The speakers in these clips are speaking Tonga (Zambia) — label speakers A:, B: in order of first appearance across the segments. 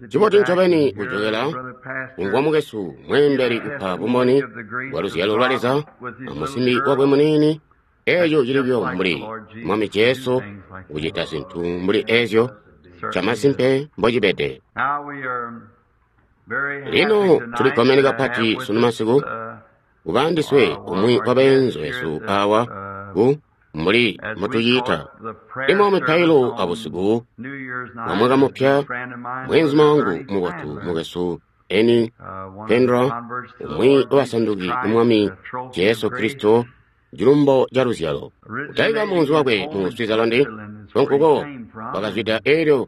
A: Ncibotu ncobeni kujokela kumvwa mukwesu mweembeli kupa bumboni bwa luzyalo lwa Leza amusimbi wakwe muniini. Eeco cili buyo mbuli Mwami Jesu kucita zintu mbuli ezyo, camasimpe mbocibede. Lino tulikkomene kapati sunu masiku kuba andiswe umwi wabeenzu besu awa ku mbuli mbotuciita imo mipailo abusiku bwa mwaka mupya. Mweenzuma wangu mubotu mukwesu Eni Kendra, umwi wabasanduki ku Mwami Jesu Kristo, cilumbo ca luzyalo, kutalika munzi wakwe mu Switzerland, nkonkuko wakazwida. Elyo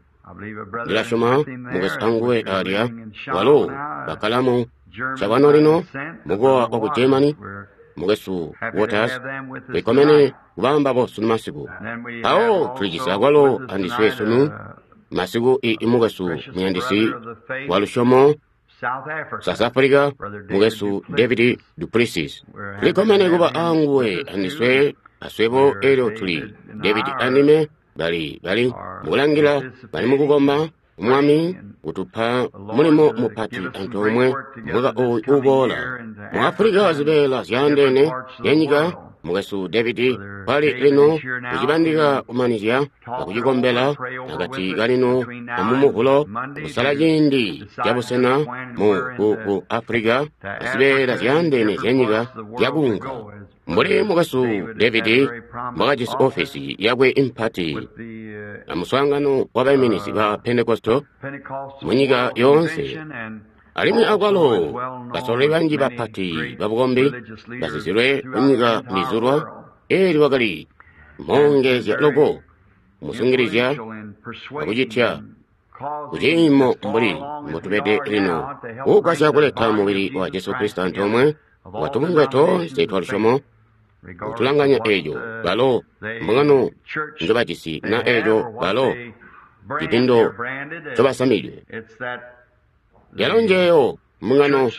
A: ndilasyoma mukwesu anguwe alya, walo bakkala mu cabano lino mukowa waku Germany, mukwesu Waters. Tulikkomene kuba ambabo sunu masiku. Mpawo tulijisi akwalo andiswe sunu masiku i mukwesu muyandisi wa lusyomo South Africa, mukwesu David Duplessis. Tulikkomene kuba anguwe andiswe aswebo. Elyo tuli David andime bali mukulangila, bali mukukomba Mwami kutupa mulimo mupati antoomwe mwaka ooyu uuboola mu Afulika zibeela zyaandeene zyanyika. Mukwesu David kwali lino kucibandika kumanizya akucikombela akati kalino amumuvulo kusala ciindi cabusena mu ku Afulika azibeela zyaandeene zyanyika zyakuunka. Mbuli mukwesu David mbwakajisi ofesi yakwe impati amuswaangano wabaiminizi ba Pentekosto munyika yoonse, alimwi akwalo basololi banji bapati babukombi bazizilwe munyika mbizulwa, eelyo wakali moongezya loko musungilizya akucitya kuciimo mbuli mbotubede lino, kugwasya kuleta mubili wa Jesu Kristo antoomwe watubungwe toonse twa lusyomo, kutulanganya eeco balo mbungano njobajisi na eeco balo cidindo ncobasamidwe. Yalo njeeyo mbungano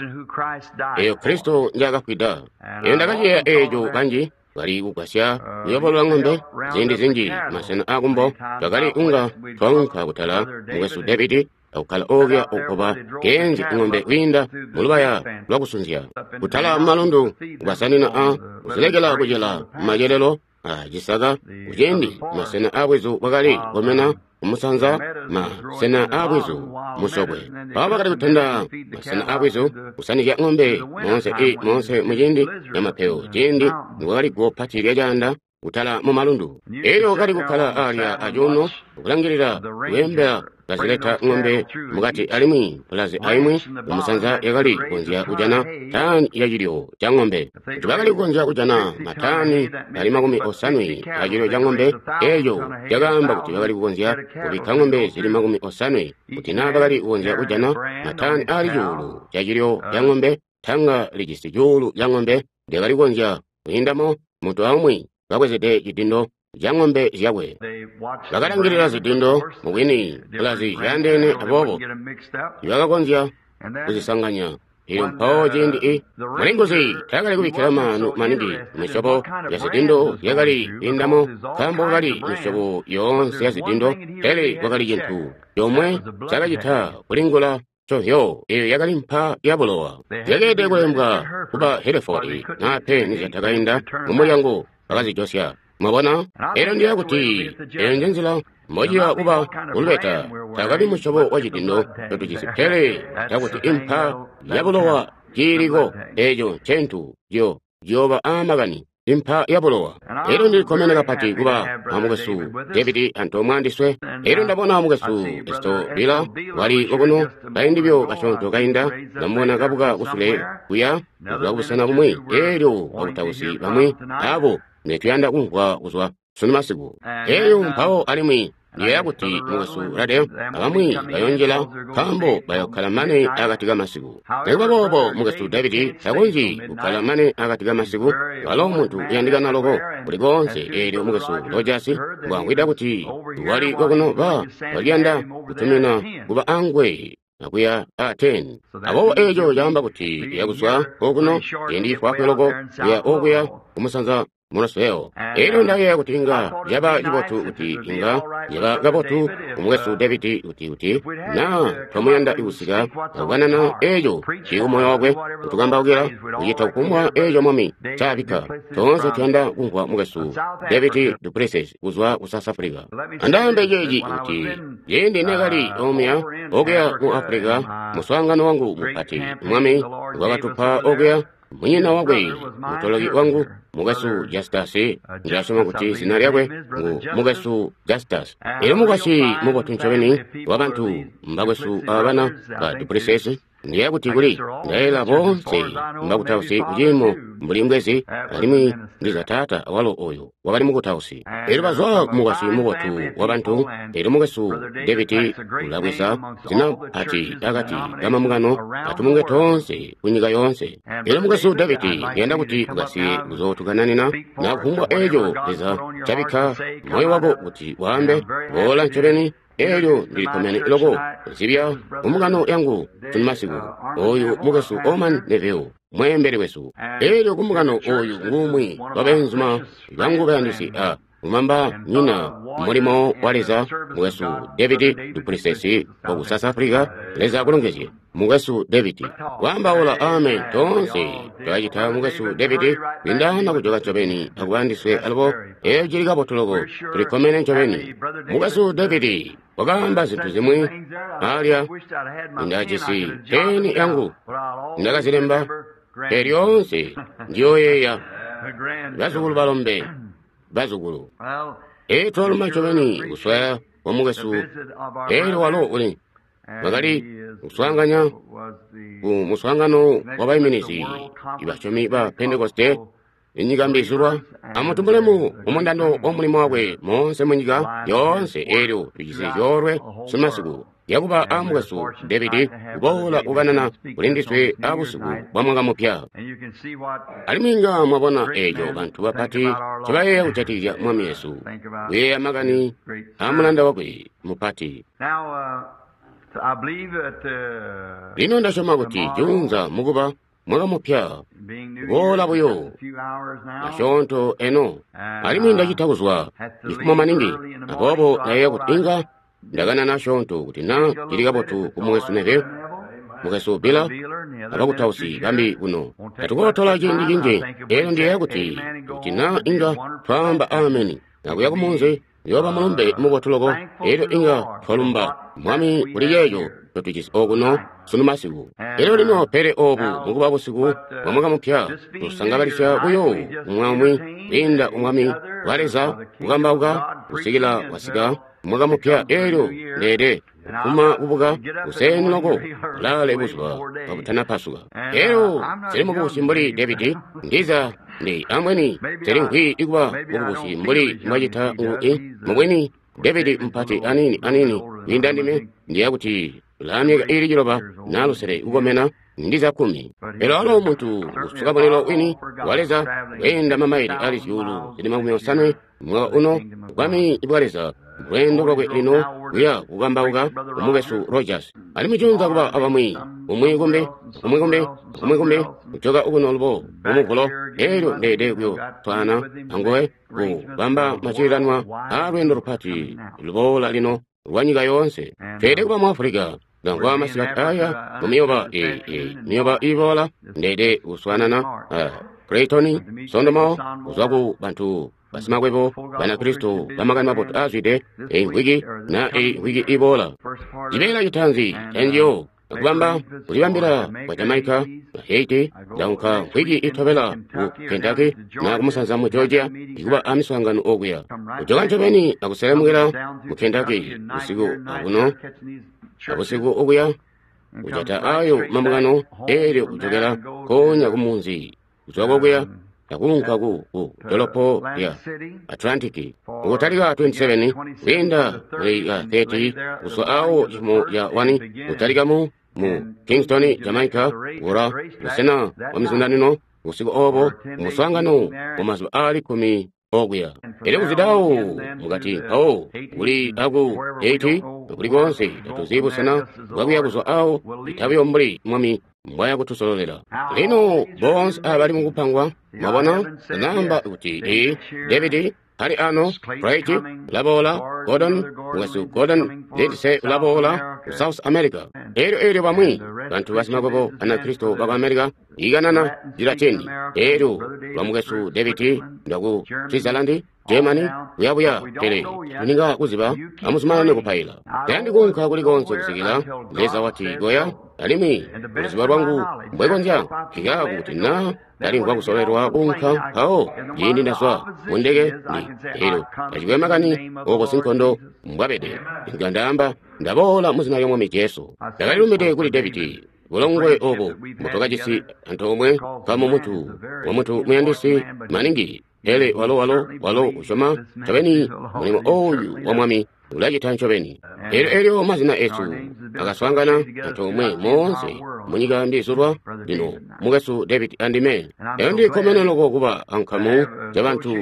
A: eeyo Kristo njaakafwida. Eyo ndakaciyeeya eeco kanji bali kugwasya kuyobolola ŋombe ziindi zinji masena aakumbo. Twakali kunga twaunka kutala mukwesu David akukkala okuya okuba keenzi ŋombe kwiinda mulubaya lwakusunzya kutala mumalundu, kubasanina a kuzilekela kucela mumacelelo a cisaka. Kuciindi masena aabwizu bwakali komena kumusanza, masena aabwizu musokwe, mpawo bakali kutenda masena aabwizu kusanizya ŋombe moonse moonse muciindi camapeyo, ciindi nikwakali guwo pati lyacaanda kutala mumalundu. Elyo kali kukkala alya acuuno kulangilila kweembela kazileta ŋombe mukati, alimwi pulazi aimwi kumusanza yakali kukonzya kujana tani yacilyo ca ŋombe. Kuti bakali kukonzya kujana matani ali 80 acilyo ca ŋombe, eeco cakaamba kuti bakali kukonzya kubikka ŋombe zili 80. Kuti naa bakali kukonzya kujana matani ali 1000 cacilyo ca ŋombe, tanga lijisi 1000 ca ŋombe lyakali kukonzya kwiindamo muntu aumwi kabwezede cidindo ca ŋombe zyakwe. Bakalangilila zidindo mubwini pulazi zyaandeene, aboobo tibakakonzya kuzisanganya. Elyo mpawo ciindi mulinguzi taakali kubikkila maanu maningi misyobo ya zidindo zyakali kwiindamo, nkaambo kwakali misyobo yoonse ya zidindo, pele kwakali cintu comwe cakacita kulingula ncovyo, eyo yakali mpa ya bulowa. Zyakeelede kulembwa kuba Hereford naa pe nizyatakainda mumulyango bakazijosya. Mwabona? Elyo ndiya kuti eyo njenzila mbociya kuba kulubeta. Takali musyobo wa cidindo ncotujisi, pele cakuti impa ya bulowa ciiliko, eeco ncentu ciyooba aamakani, impa ya bulowa. Elyo ndilikkomene kapati kuba amukwesu David antoomwe andiswe. Elyo ndabona mukwesu Estobila wali kokuno kaindi buyo kasyoonto kainda, ndamubona kabuka kusule kuya kuzwa kubusena bumwi. Elyo bakutausi bamwi abo netuyanda kumvwa kuzwa sunu masiku. Elyo mpawo alimwi ndiyeeya kuti mukwesu Radel abamwi bayonjela, nkaambo bayokkala mane akati kamasiku. Nikuba boobo mukwesu David takonzyi kukkala mane akati kamasiku, walo muntu uyandikana loko kuli koonse. Eelyo mukwesu Rogers mbwamvwida kuti wali kokuno, ba waliyanda kutumina kuba anguwe akuya a 10. Aboobo eeco caamba kuti yakuzwa kokuno ciindi cifwaafwi loko kuya okuya kumusanza Roswell. Elyo ndayeeya kuti inga caba cibotu kuti inga caba kabotu kumukwesu David kuti na twamuyanda kusika akukanana eco cili kumoyo wakwe kutukambaukila kucita kufumbwa eco Mwami ncaabikka. Toonse tuyanda kumvwa mukwesu David duPlessis kuzwa ku South Africa. Andaambe ceeci kuti ciindi neekali omuya okuya mu Africa, muswaangano wangu mupati Mwami ngwakatupa okuya, munyina wakwe mutoloki wangu mukwesu Justus, ndilasyoma kuti zina lyakwe ngu mukwesu Justus. Elyo mukwasyi mubotu ncobeni wabantu mbakwesu abana ba duPlessis. Ndiyeeya kuti kuli ndayeeyela boonse mbakutausi kuciimo mbuli mbwezi, alimwi ndiza taata awalo oyo wakali mukutausi. Elyo bazwa kumukwasyi mubotu wabantu. Elyo mukwesu David ulabweza zina pati akati kamambungano atubungwe toonse kunyika yoonse. Elyo mukwesu David ndiyanda kuti ukasiye kuzootukananina na kufumbwa eco Leza cabikka moyo wako kuti waambe, boola ncobeni. Elyo ndilikkomene loko kuzibya kumbungano yangu sunumasiku oyu mukwesu Orman Neville, mweembeli wesu. Elyo kumbungano oyu ngumwi wabeenzuma bangu bayandisi a kumamba nyina mulimo wa Leza, mukwesu David duPlessis waku South Africa. Leza akulongezye mukwesu David. Waambaula amen toonse twacita mukwesu David kwindana kujoka ncobeni akuba ndiswe alubo. Eco cili kabotu loko, tulikkomene ncobeni. Mukwesu David wakaamba zintu zimwi alya ndajisi peni yangu ndakazilemba, pele lyoonse ndiyoyeeya bazukulu balombe bazukulu. Eco twaluma ncobeni kuswaya kwa mukwesu. Elyo walo uli wakali kuswaanganya ku muswaangano wa baiminizi ibasyomi ba Pentekoste inyika mbizulwa. Amutumbulemu mumundando wa mulimo wakwe moonse munyika yoonse. Elyo tujisi coolwe sunumasiku lyakuba a mukwesu David kuboola kukanana kuli ndiswe abusiku bwa mwaka mupya. Alimwi inga mwabona eco bantu bapati ncobayeeya kujatikizya Mwami Yesu, kuyeeya makani a mulanda wakwe mupati. Lino ndasyoma kuti juunza mukuba mwaka mupya boola buyo asyoonto eno, alimwi ndacita kuzwa cifumo maningi, aboobo ndayeeya kuti inga ndakanana asyoonto kuti na cili kabotu ku mukwesu Neville, mukwesu Beeler, abakutausi bambi kuno. Tatukootola ciindi cinji. Elyo ndiyeeya kuti kuti na inga twaamba ameni nakuya kumunzi, uyooba mulumbe mubotu loko. Elyo inga twalumba Mwami kuli ceeco ncotujisi okuno sunumasiku. Elyo lino pele obu mukuba busiku bwa mwaka mupya, tusangabalisya buyo umwi kwiinda umwami wa Leza kukambauka kusikila wasika mwaka mupya. Elyo ndeede kufuma kubuka kuseeni loko ulale buzuba kabutanapasuka. Elyo sili mukubusi mbuli David, ndiza ndi ambweni sili nkwi ikuba mukubusi mbuli mbwacita mubwini David mpati anini anini kwiinda ndime, ndiya kuti ulaa myaka iili 9 na 6 kukomena, ndiza 10. Pele walo muntu usuka mulilo wini wa Leza kweenda mamaili ali 8,000 mwaka uno bwami bwa Leza lweendo lwakwe lino kuya kukambauka kumukwesu Rogers. Alimwi junza kuba abamwi umwi kumbi umwi kumbi umwi kumbi kujoka ukuno lubo mumuvulo. Elyo ndeede kuyo twana anguwe kubamba macilanwa a lweendo lupati luboola lino lwa nyika yoonse. Tweede kuba mu Africa ngangwa masikati aya mumiyoba miyoba iboola. Ndeede kuswanana Clayton Sondomo kuzwa ku bantu basimakwebo Banakristo bamakani mabotu aazwide eyi mvwiki na eyi mvwiki iboola. Cibeela citaanzi canjiyo akubamba kulibambila kwa Jamaica na Haiti. Ndaunka mvwiki itobela ku Kentucky na kumusanza mu Georgia ikuba amiswaangano okuya. Kujoka ncobeni akuselemukila mu Kentucky usiku akuno abusiku okuya kujata ayo mambungano elyo kujokela konya kumunzi kuzwa kokuya akunka ku dolopo lya Atlantic kutalika 27 kuyenda muli ya 30 kuzwa awo cifumo ya 1 kutalika mu Kingston, Jamaica kula busena bwa mizundanino usiku obo muswaangano wa mazuba aali 10 okuya. Elyo kuzidawo mukati mpawo kuli aku Haiti kuli konse tatuzi busena bwakuya kuzwa awo itabuyo mbuli Mwami mbwaya kutusololela. Lino boonse aba bali mukupangwa, mwabona, naamba kuti i David ali ano, Bright ulaboola, Gordon, mukwesu Gordon Lindsay ulaboola ku South America. Elyo bamwi bantu basimakwebo Banakristo baku America ikanana Cilatini. Elyo lwa mukwesu David ndwaku Switzerland, Germany, kuyabuya, pele tuninga kuziba, amuzumanane kupaila. Tayandi kuunka kuli konse kusikila Leza wati goya, alimwi luziba lwangu mbwekonzya nkikaako kuti na ndalimvwa kusololelwa kuunka mpawo ciindi ndazwa mundeke ndi elyo tacikwe makani oko sinkondo mbwabede, inga ndaamba ndaboola muzina lya Mwami Jesu. Ndakalilumbide kuli Davidi bulongwe obo mbutwakajisi antoomwe nkamu muntu wa muntu muyandisi maningi, pele walo usyoma ncobeni mulimo oyu wa Mwami ulacita ncobeni. Elyo mazina esu akaswaangana antoomwe moonse munyika mbizulwa lino mukwesu David andime. Elyo ndikkomene loko kuba ankamu zyabantu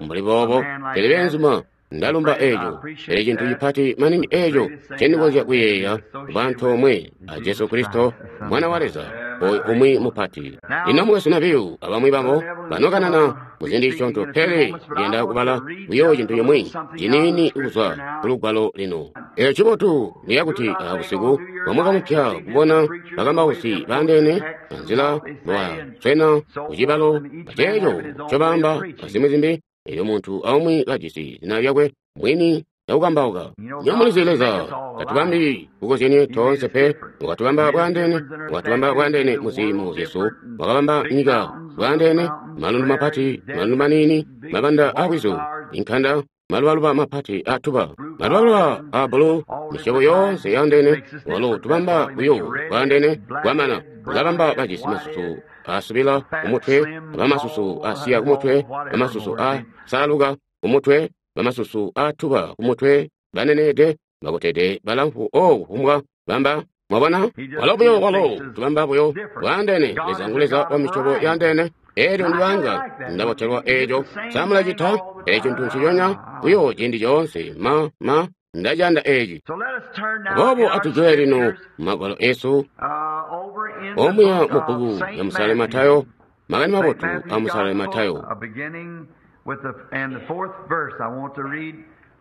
A: mbuli boobo, pele beenzuma ndalumba eeco. Pele cintu cipati maningi eeco ncendikonzya kuyeeya kuba antoomwe a Jesu Kristo, Mwana wa Leza, oyu umwi mupati. Lino mukwesu Neville abamwi babo banokanana muziindi zisyoonto, pele ndiyanda kubala buyo cintu cimwi ciniini kuzwa kulugwalo lino. Eco cibotu ndiyakuti abusiku bwa mwaka mupya kubona bakambausi baandeene anzila mbobaswena kucibalo aceeco ncobaamba azimwi zimbi. Elyo muntu aumwi kajisi zina lyakwe mwini yakukambauka. Nyomulizi Leza tatubambi kukozyenie toonse pe, wakatubamba bwaandeene, wakatubamba bwaandeene muziimo zyesu, wakabamba nyika bwaandeene, malundu mapati, malundu maniini, mabanda aabwizu, inkanda, malubaluba mapati aatuba, malubaluba a bulu, misyobo yoonse yaandeene. Walo tubamba buyo bwaandeene bwamana, ulabamba bajisi masusu asubila kumutwe, bamasusu asiya kumutwe, bamasusu asaluka kumutwe, bamasusu atuba kumutwe, baneneede, bakotede, balamfu, kufumbwa bamba. Mwabona, walo buyo walo tubamba buyo bwaandeene. Leza ngu Leza wa misyobo yaandeene. Elyo ndibanga ndabotelwa eeco samulacita eco cintu nciconya buyo ciindi coonse. Ma ndaciyanda eeci. Aboobo atujule lino magwalo esu omuya mu bbuku ya Musale Matayo, Makani Mabotu a Musale Matayo,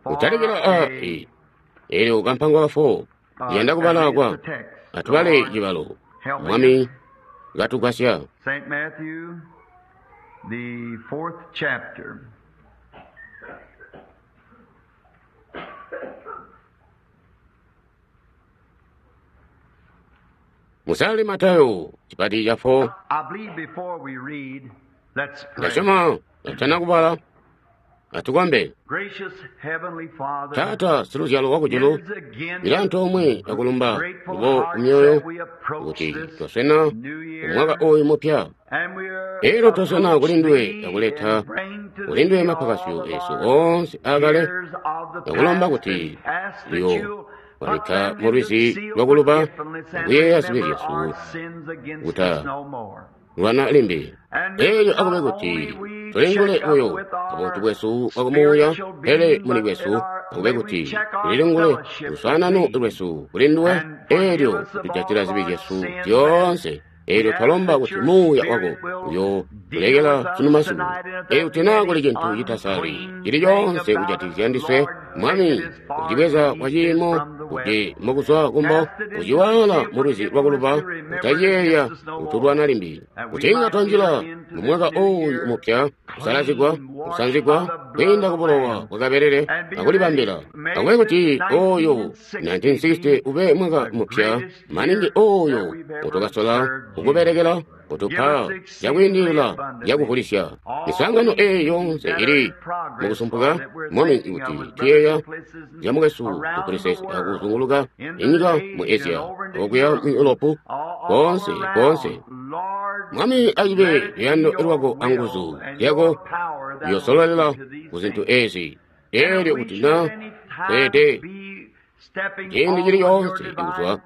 A: kutalikila a elyo kampango ka 4 ndiyanda kubala kwa atubale cibalo. Mwami katugwasya.
B: St. Matthew, the 4th chapter.
A: Musale Matayo chipati cha 4.
B: I believe before we read, let's pray.
A: Ndasyoma atana kubala atukombe.
B: Gracious Heavenly Father,
A: Tata siluzyalo wakujulu,
B: it is again
A: ila antoomwe akulumba
B: grateful
A: lubo
B: hearts
A: kumyoyo
B: that we approach
A: kuti
B: this
A: twaswena
B: new year,
A: umwaka oyu mupya.
B: and we are
A: Elyo twaswena
B: approach
A: kuli nduwe
B: thee
A: akuleta
B: and bring to
A: kuli nduwe
B: thee
A: mapakasyo
B: all of
A: esu
B: our
A: onse akale,
B: cares of the
A: akulomba
B: past
A: kuti
B: and ask that
A: iyo
B: you'll put
A: wabikka
B: them
A: mu
B: in the
A: lwizi
B: seal
A: lwakuluba
B: forgetfulness and
A: akuyeeya zibi
B: remember
A: zyesu
B: our sins against
A: kuta
B: us no more.
A: lwana limbi.
B: And
A: Elyo
B: not
A: akube kuti
B: only we
A: tulingule
B: check up
A: buyo
B: with our
A: ubuntu bwesu bwakumuuya,
B: spiritual
A: pele
B: being,
A: muli
B: but
A: bwesu
B: in our,
A: akube
B: may we
A: kuti
B: check our
A: tulilingule
B: fellowship with
A: luswaanano
B: thee
A: lwesu kuli nduwe.
B: and forgive
A: Elyo
B: us of all
A: kutujatila
B: of
A: zibi
B: our
A: zyesu
B: sins as
A: zyoonse. Elyo
B: we ask
A: twalomba
B: that
A: kuti
B: your
A: muuya wako
B: Spirit will
A: uyo
B: deal
A: kulekela
B: with
A: sunu
B: us
A: masiku.
B: tonight, and if
A: Elyo
B: there be
A: tina
B: any
A: kuli cintu citasali
B: unclean
A: cili
B: thing
A: coonse
B: about us,
A: kujatikizya ndiswe,
B: Lord, take
A: Mwami,
B: it as far
A: kucibweza
B: as
A: kwa
B: east is
A: ciimo
B: from the west.
A: kuti mukuzwa kumbo
B: Cast it into the
A: kuciwala
B: sea of
A: mu lwizi lwakuluba,
B: forgetfulness to remember it
A: kutaciyeeya
B: against us no more,
A: kutulwana limbi.
B: that we
A: Kuti inga
B: might enter
A: twanjila
B: into
A: mu
B: this
A: mwaka
B: new
A: oyu
B: year
A: mupya, kusalazigwa,
B: clean, washed by
A: kusanzigwa
B: the blood
A: kwiinda
B: of the
A: ku bulowa
B: Lamb,
A: bwa kabelele
B: and be ready.
A: akulibambila.
B: May
A: Akube
B: this
A: kuti oyo
B: 1960
A: 1960
B: be
A: ube mwaka
B: the
A: mupya
B: greatest
A: maningi
B: year that
A: oyo
B: we've ever
A: utukasola
B: served you.
A: kukubelekela
B: Give
A: kutupa
B: us exceedingly
A: cakwiindilila
B: abundantly
A: cakuvulisya.
B: all
A: Miswaangano
B: these
A: eeyi yoonse
B: that are
A: ili
B: in progress,
A: mukusumpuka,
B: Lord, that we're
A: Mwami,
B: thinking of
A: kuti
B: with Brother
A: tuyeeya
B: Duplessis and
A: zya mukwesu
B: around the
A: Duplessis
B: world,
A: akuzunguluka
B: into
A: inyika mu
B: Asia and
A: Asia
B: over into
A: okuya mu
B: Europe,
A: Europe,
B: all
A: konse konse.
B: around. Lord,
A: Mwami
B: let
A: acibe
B: it be
A: luyando
B: your
A: lwako
B: will
A: anguzu
B: and
A: zyako
B: your power that will
A: ziyosololela
B: see to these
A: ku zintu
B: things.
A: ezi.
B: And if
A: Elyo
B: we
A: kuti
B: should
A: na
B: at any time
A: tweete
B: be stepping
A: ciindi
B: off
A: cili
B: of your
A: coonse kuzwa
B: divine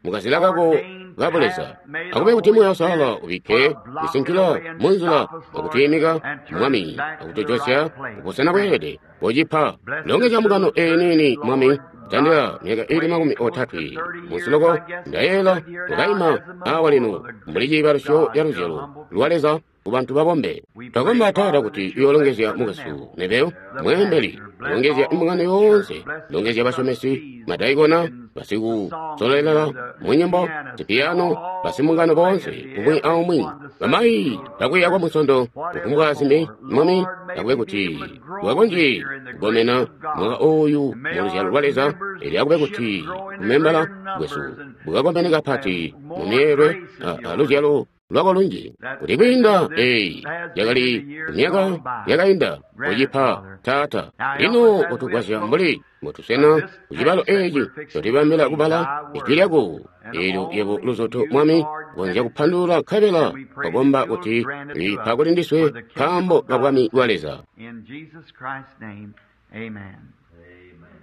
A: mukazila kako kabuleza. Akube kuti Muuya Uusalala ubikke isinkila munzila akutwiimika Mwami, akutujosya kubusena bweelede. Kocipa longezya mbungano eyi niini, Mwami. Tandila myaka ili 30 musiloko ndayeela ukaima awa lino mbuli ciibalusyo ca luzyalo lwa Leza ku bantu babombe. Twakomba Taata kuti uyoolongezya mukwesu Neville, mweembeli, longezya mbungano yoonse, longezya basyomesi, madaikona, basikusolelela mu nyimbo, zipiyano, basimbungano boonse, umwi aumwi, bamayi bakwiiya kwa Munsondo, kufumbwa zimbi. Mwami, akube kuti tukakonzye kukomena mwaka oyu mu luzyalo lwa Leza, elyo akube kuti kumembala bwesu bukakomene kapati mu myeelwe a luzyalo lwako lunji, kuti kwiinda eyi yakali myaka yakainda. Kucipa Taata. Lino utugwasya mbuli mbotusena kucibalo eci cotibambila kubala ijwi lyako eelyo yebo luzoto, Mwami, konzya kupandulula nkabela twakomba kuti lipa kuli ndiswe nkaambo ka bwami bwa Leza.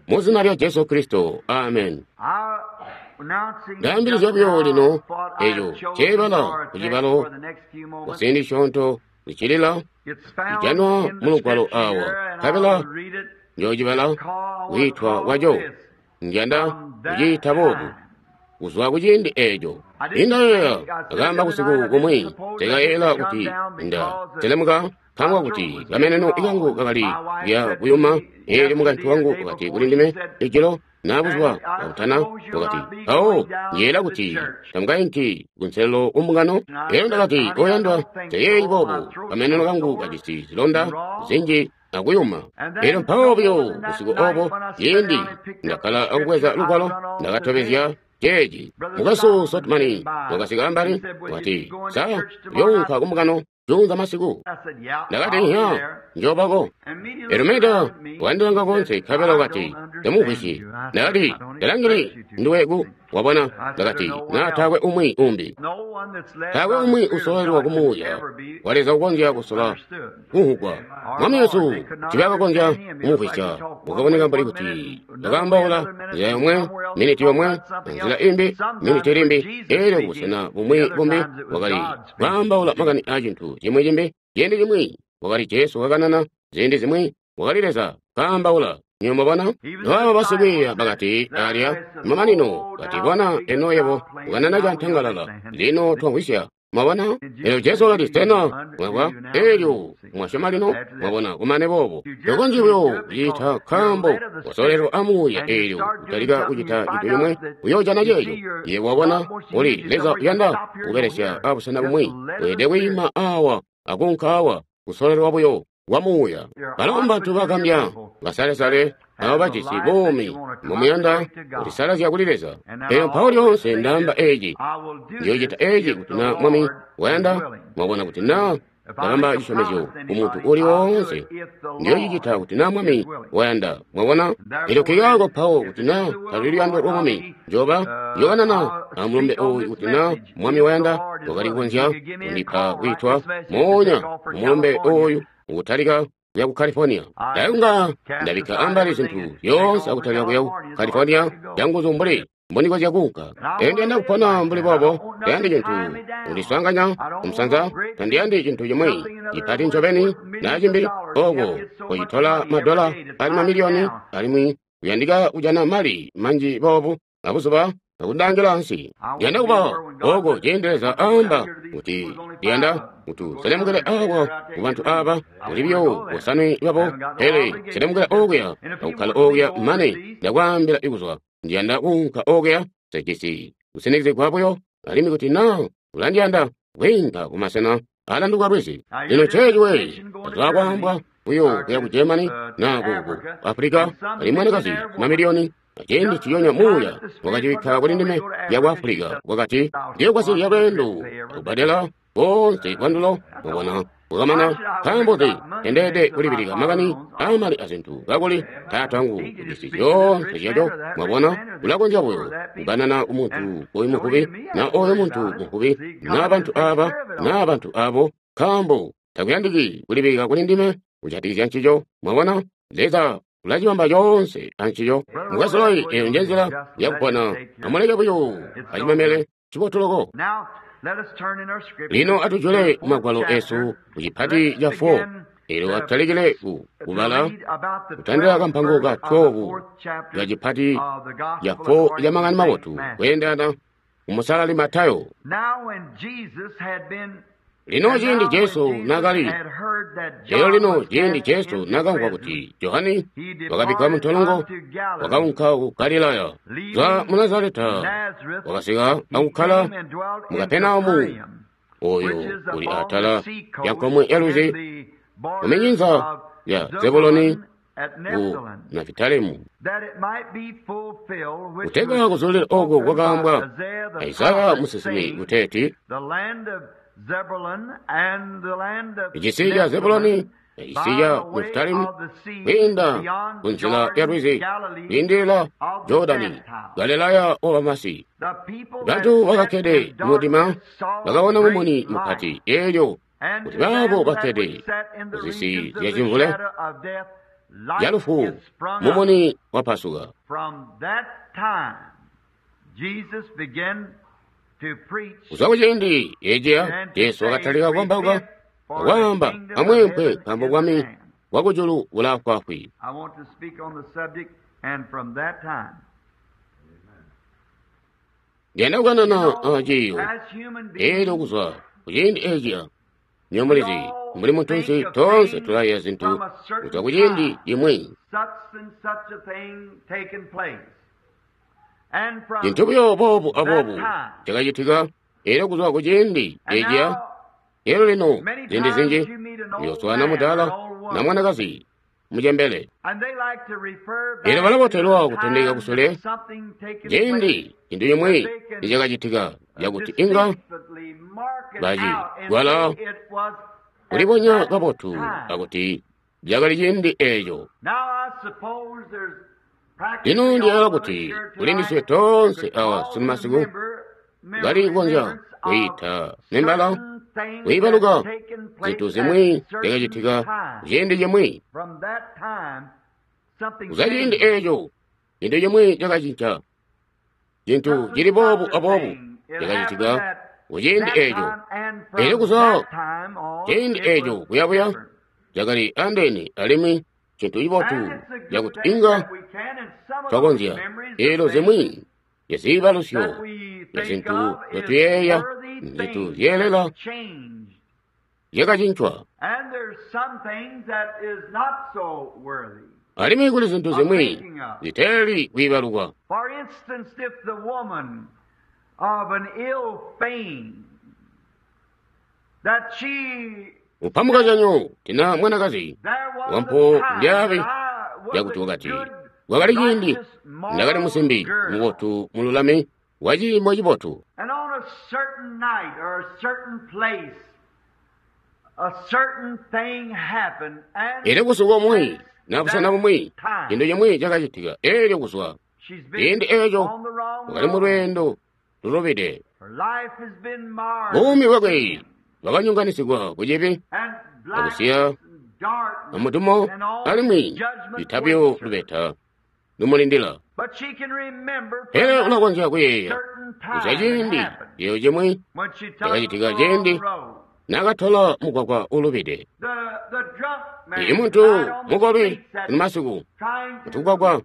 A: Mu zina lya Jesu Kristo, amen. Ndaambilizya buyo lino eco ceebala kucibalo kuciindi cisyoonto zicilila ijanwa mu lugwalo awa, nkabela njoocibala kwiitwa kwaco. Njanda kuciita boobu kuzwa kuciindi eco. Indayeeya akaamba kusiku kumwi, tekayeela kuti nda selemuka nkaambo kuti kameneno kangu kakali kuya kuyuma. Eelyo mukaintu wangu wakati kuli ndime ijilo na buzuba bwakutana, wakati, mpawo njeela kuti tamukainki kunselelo kumbungano. Eelyo ndakati, oyandwa, teyeeyi boobu, kameneno kangu kajisi zilonda zinji akuyuma. Eelyo mpawo buyo busiku obo, ciindi ndakkala akubweza lugwalo, ndakatobezya ceeci. Mukwesu Sotmani wakasika ambali, wakati, sa uyounka kumbungano juunza masiku? Ndakati, nya, njoobako. Eelyo Meda wakandilanga konse, nkabela wakati, ndamumvwisyi. Ndakati, ndalangili nduwe ku wabona. Ndakati, na taakwe umwi umbi, taakwe umwi usololelwa ku Muuya wa Leza ukonzya kusola kumvwugwa. Mwami Yesu tibakakonzya kumumvwisya. Wakaboneka mbuli kuti bakaambaula nzila yomwe miniti yomwe, nzila imbi miniti limbi, eelyo kubusena bumwi bumbi wakali kwaambaula makani a cintu cimwi cimbi. Ciindi cimwi wakali Jesu kakanana, ziindi zimwi wakali Leza kaambaula. Nywebo mwabona? Nobaba basikwiiya bakati alya mamanino, bati, bona eno yebo ukanana cantangalala, lino twamvwisya. Mwabona? Elyo Jesu wakati, sena mwamvwa? Elyo mwasyoma lino? Mwabona, kumane boobo tokonzyi buyo kucita nkaambo wasololelwa a Muuya. Eelyo utalika kucita cintu cimwi, uyoojana ceeco. Yebo wabona, uli Leza uyanda kubelesya abusena bumwi, weelede kwiima awa akuunka awa, kusololelwa buyo kwa Muuya. Balo mbantu bagambya, basalesale, abo bajisi buumi mumuyanda kulisalazya kuli Leza. Elyo mpawo lyoonse ndaamba eci, ndiyoocita eci kuti na Mwami wayanda. Mwabona, kuti na ndabamba cisyomezyo ku muntu uli woonse, ndiyoocicita kuti na Mwami wayanda. Mwabona? Elyo nkikaako mpawo kuti na taluli luyando lwa Mwami, njoba njookanana amulumbe oyu kuti na Mwami wayanda. Wakali kukonzya kundipa kwiitwa moonya kumulumbe oyu ukutalika kuya ku California. Ndakunga ndabikka ambali zintu zyoonse akutalika kuya ku California canguzu mbuli mbonikonzya kuunka. Elyo ndiyanda kupona mbuli boobo. Tayandi cintu kundiswaanganya kumusanza, tandiyandi cintu cimwi cipati ncobeni na cimbi oko kucitola madola ali mamiliyoni, alimwi kuyandika kujana mali manji boobu abuzuba akundangila ansi. Ndiyanda kuba oko ciindi Leza aamba kuti ndiyanda kuti selemukele awa ku bantu aba kuli buyo bosanwe babo, pele selemukele okuya akukkala okuya mane ndakwaambila ikuzwa. Ndiyanda kuunka okuya, sejisi kusinikizigwa buyo, alimwi kuti na ulandiyanda kwiinka kumasena alanduka lwizi. Lino ceeci we tazwakwaambwa buyo kuya ku Germany na ku Africa, alimwi mwanakazi mamiliyoni. Ciindi ciyonya Muuya wakacibikka kuli ndime ya ku Africa, wakati ndiyogwasilya lweendo akubadela bonse bwandulo. Mwabona, bwakamana. Nkaambo nzi tendeede kulibilika makani aamali azintu kakuli Taata wangu ujisi zyoonse zyaco? Mwabona, ulakonzya buyo kukanana ku muntu oyu muvubi na oyo muntu muvubi na bantu aba na bantu abo, nkaambo takuyandiki kulibilika kuli ndime kujatikizya ncico. Mwabona, Leza Tulacibamba coonse ancico. Mukwesu, eyo nje nzila yakupona. Amuleke buyo acimamele cibotu loko. Lino atujule magwalo esu ku cipati ca 4. Elyo atalikile ku kubala kutandila kampango ka 12 ka cipati ca 4 ca Makani Mabotu kweendana kumusalali Matayo. Lino ciindi Jesu naakali lelo lino ciindi Jesu naakamvwa kuti Johani wakabikkwa muntolongo, wakaunka ku Galilaya. Zwa mu Nazareta wakasika akukkala mu Kapenaumu, oyo uli atala ya nkomwe ya lwizi, muminyinza ya Zebuloni ku Nafitalimu. Kutegwa kuzulila oko kwakaambwa Isaya musinsimi kuteeti, icisi ca Zebuloni icisi ca Nafitalimu kwiinda kunzila ya lwizi kwiindilila Jordani, Galilaya wabamasi. Bantu bakakkede mudima bakabona mumuni mupati, eelyo kuti baabo bakkede kuzisi zyacimvule ya lufu mumuni wapasuka. Kuzwa kuciindi eciya Jesu wakatalika kukambauka akwaamba amweempwe nkaambo bwami bwakujulu bulaafwaafwi. Ndiyanda kukanana aciiyo eelyo kuzwa kuciindi eciya. Nywebo mulizi, mbuli muntunsi toonse tulayeeya zintu kuzwa kuciindi cimwi. Cintu buyo boobu aboobu cakacitika eelyo kuzwa kuciindi eciya. Eelyo lino ziindi zinji muyooswaana mudaala na mwanakazi mucembele. Eelyo balabotelwa kutondeka kusule ciindi cintu cimwi nicakacitika cakuti inga bacigwala kulibonya kabotu akuti cakali ciindi eeco. Lino ndiyala kuti kuli ndiswe toonse awa sunumasiku kali kukonzya kwiita membala kwiibaluka zintu zimwi zyakacitika ciindi cimwi. Kuzwa ciindi eeco cintu cimwi cakacinca, cintu cili boobu aboobu cakacitika kuciindi eeco. Eelyo kuzwa ciindi eeco kuyabuya cakali andeene alimwi cintu cibotu cakuti inga twakonzya. Eelyo zimwi zyaziibalusyo zya zintu nzyotuyeeya, zintu zyeelela zyakacincwa. Alimwi kuli zintu zimwi ziteeli kwiibalukwa. Upamukanyanyo tina mwanakazi wampo ndyabe yakuti wakati kwakali ciindi ndakali musimbi mubotu mululami wa ciimo cibotu. Elyo busuku bumwi na busena bumwi cintu cimwi cakacitika. Elyo kuzwa ciindi eeco wakali mu lweendo lulubide. Buumi bwakwe bwakanyonganisigwa ku cibi akusiya amudumo alimwi litabyo lubeta lumulindila. Pele ulakonzya kuyeeya kuzwa ciindi eeco cimwi cakacitika ciindi naakatola mugwagwa ulubide. Imuntu mukolwi masiku kutugwagwa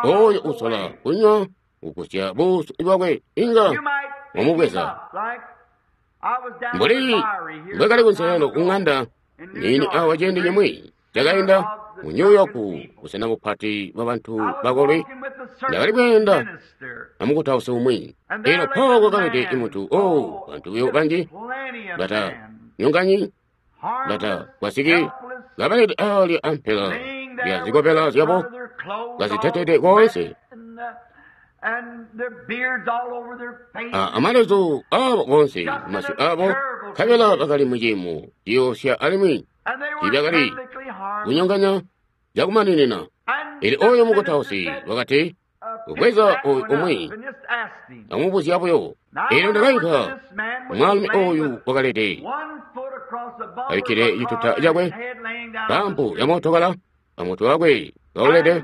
A: oyo usola kunywa kugusya buusu bwakwe inga wamubweza. Mbuli mbwekali kunselelo kuŋanda nini awa ciindi cimwi cakainda mu New York busena bupati bwa bantu bakolwi, ndakali kweenda amukutausi umwi. Elyo mpawo kwakalede imuntu o bantu buyo banji bata nyonganyi bata kwasiki kabalede aalya ampela lya zikobela zyabo kazitetede koonse amalezu aabo koonse masyu aabo nkabela bakali muciimo ciyoosya alimwi tiibyakali kunyonganya cakumaninina. Elyo oyo mukutausi wakati kubweza oyu umwi amubuzya buyo. Elyo ndakainka mwaalumi oyu wakalede abikkile cituta cakwe pampu ya mootokala amutwe wakwe kaulede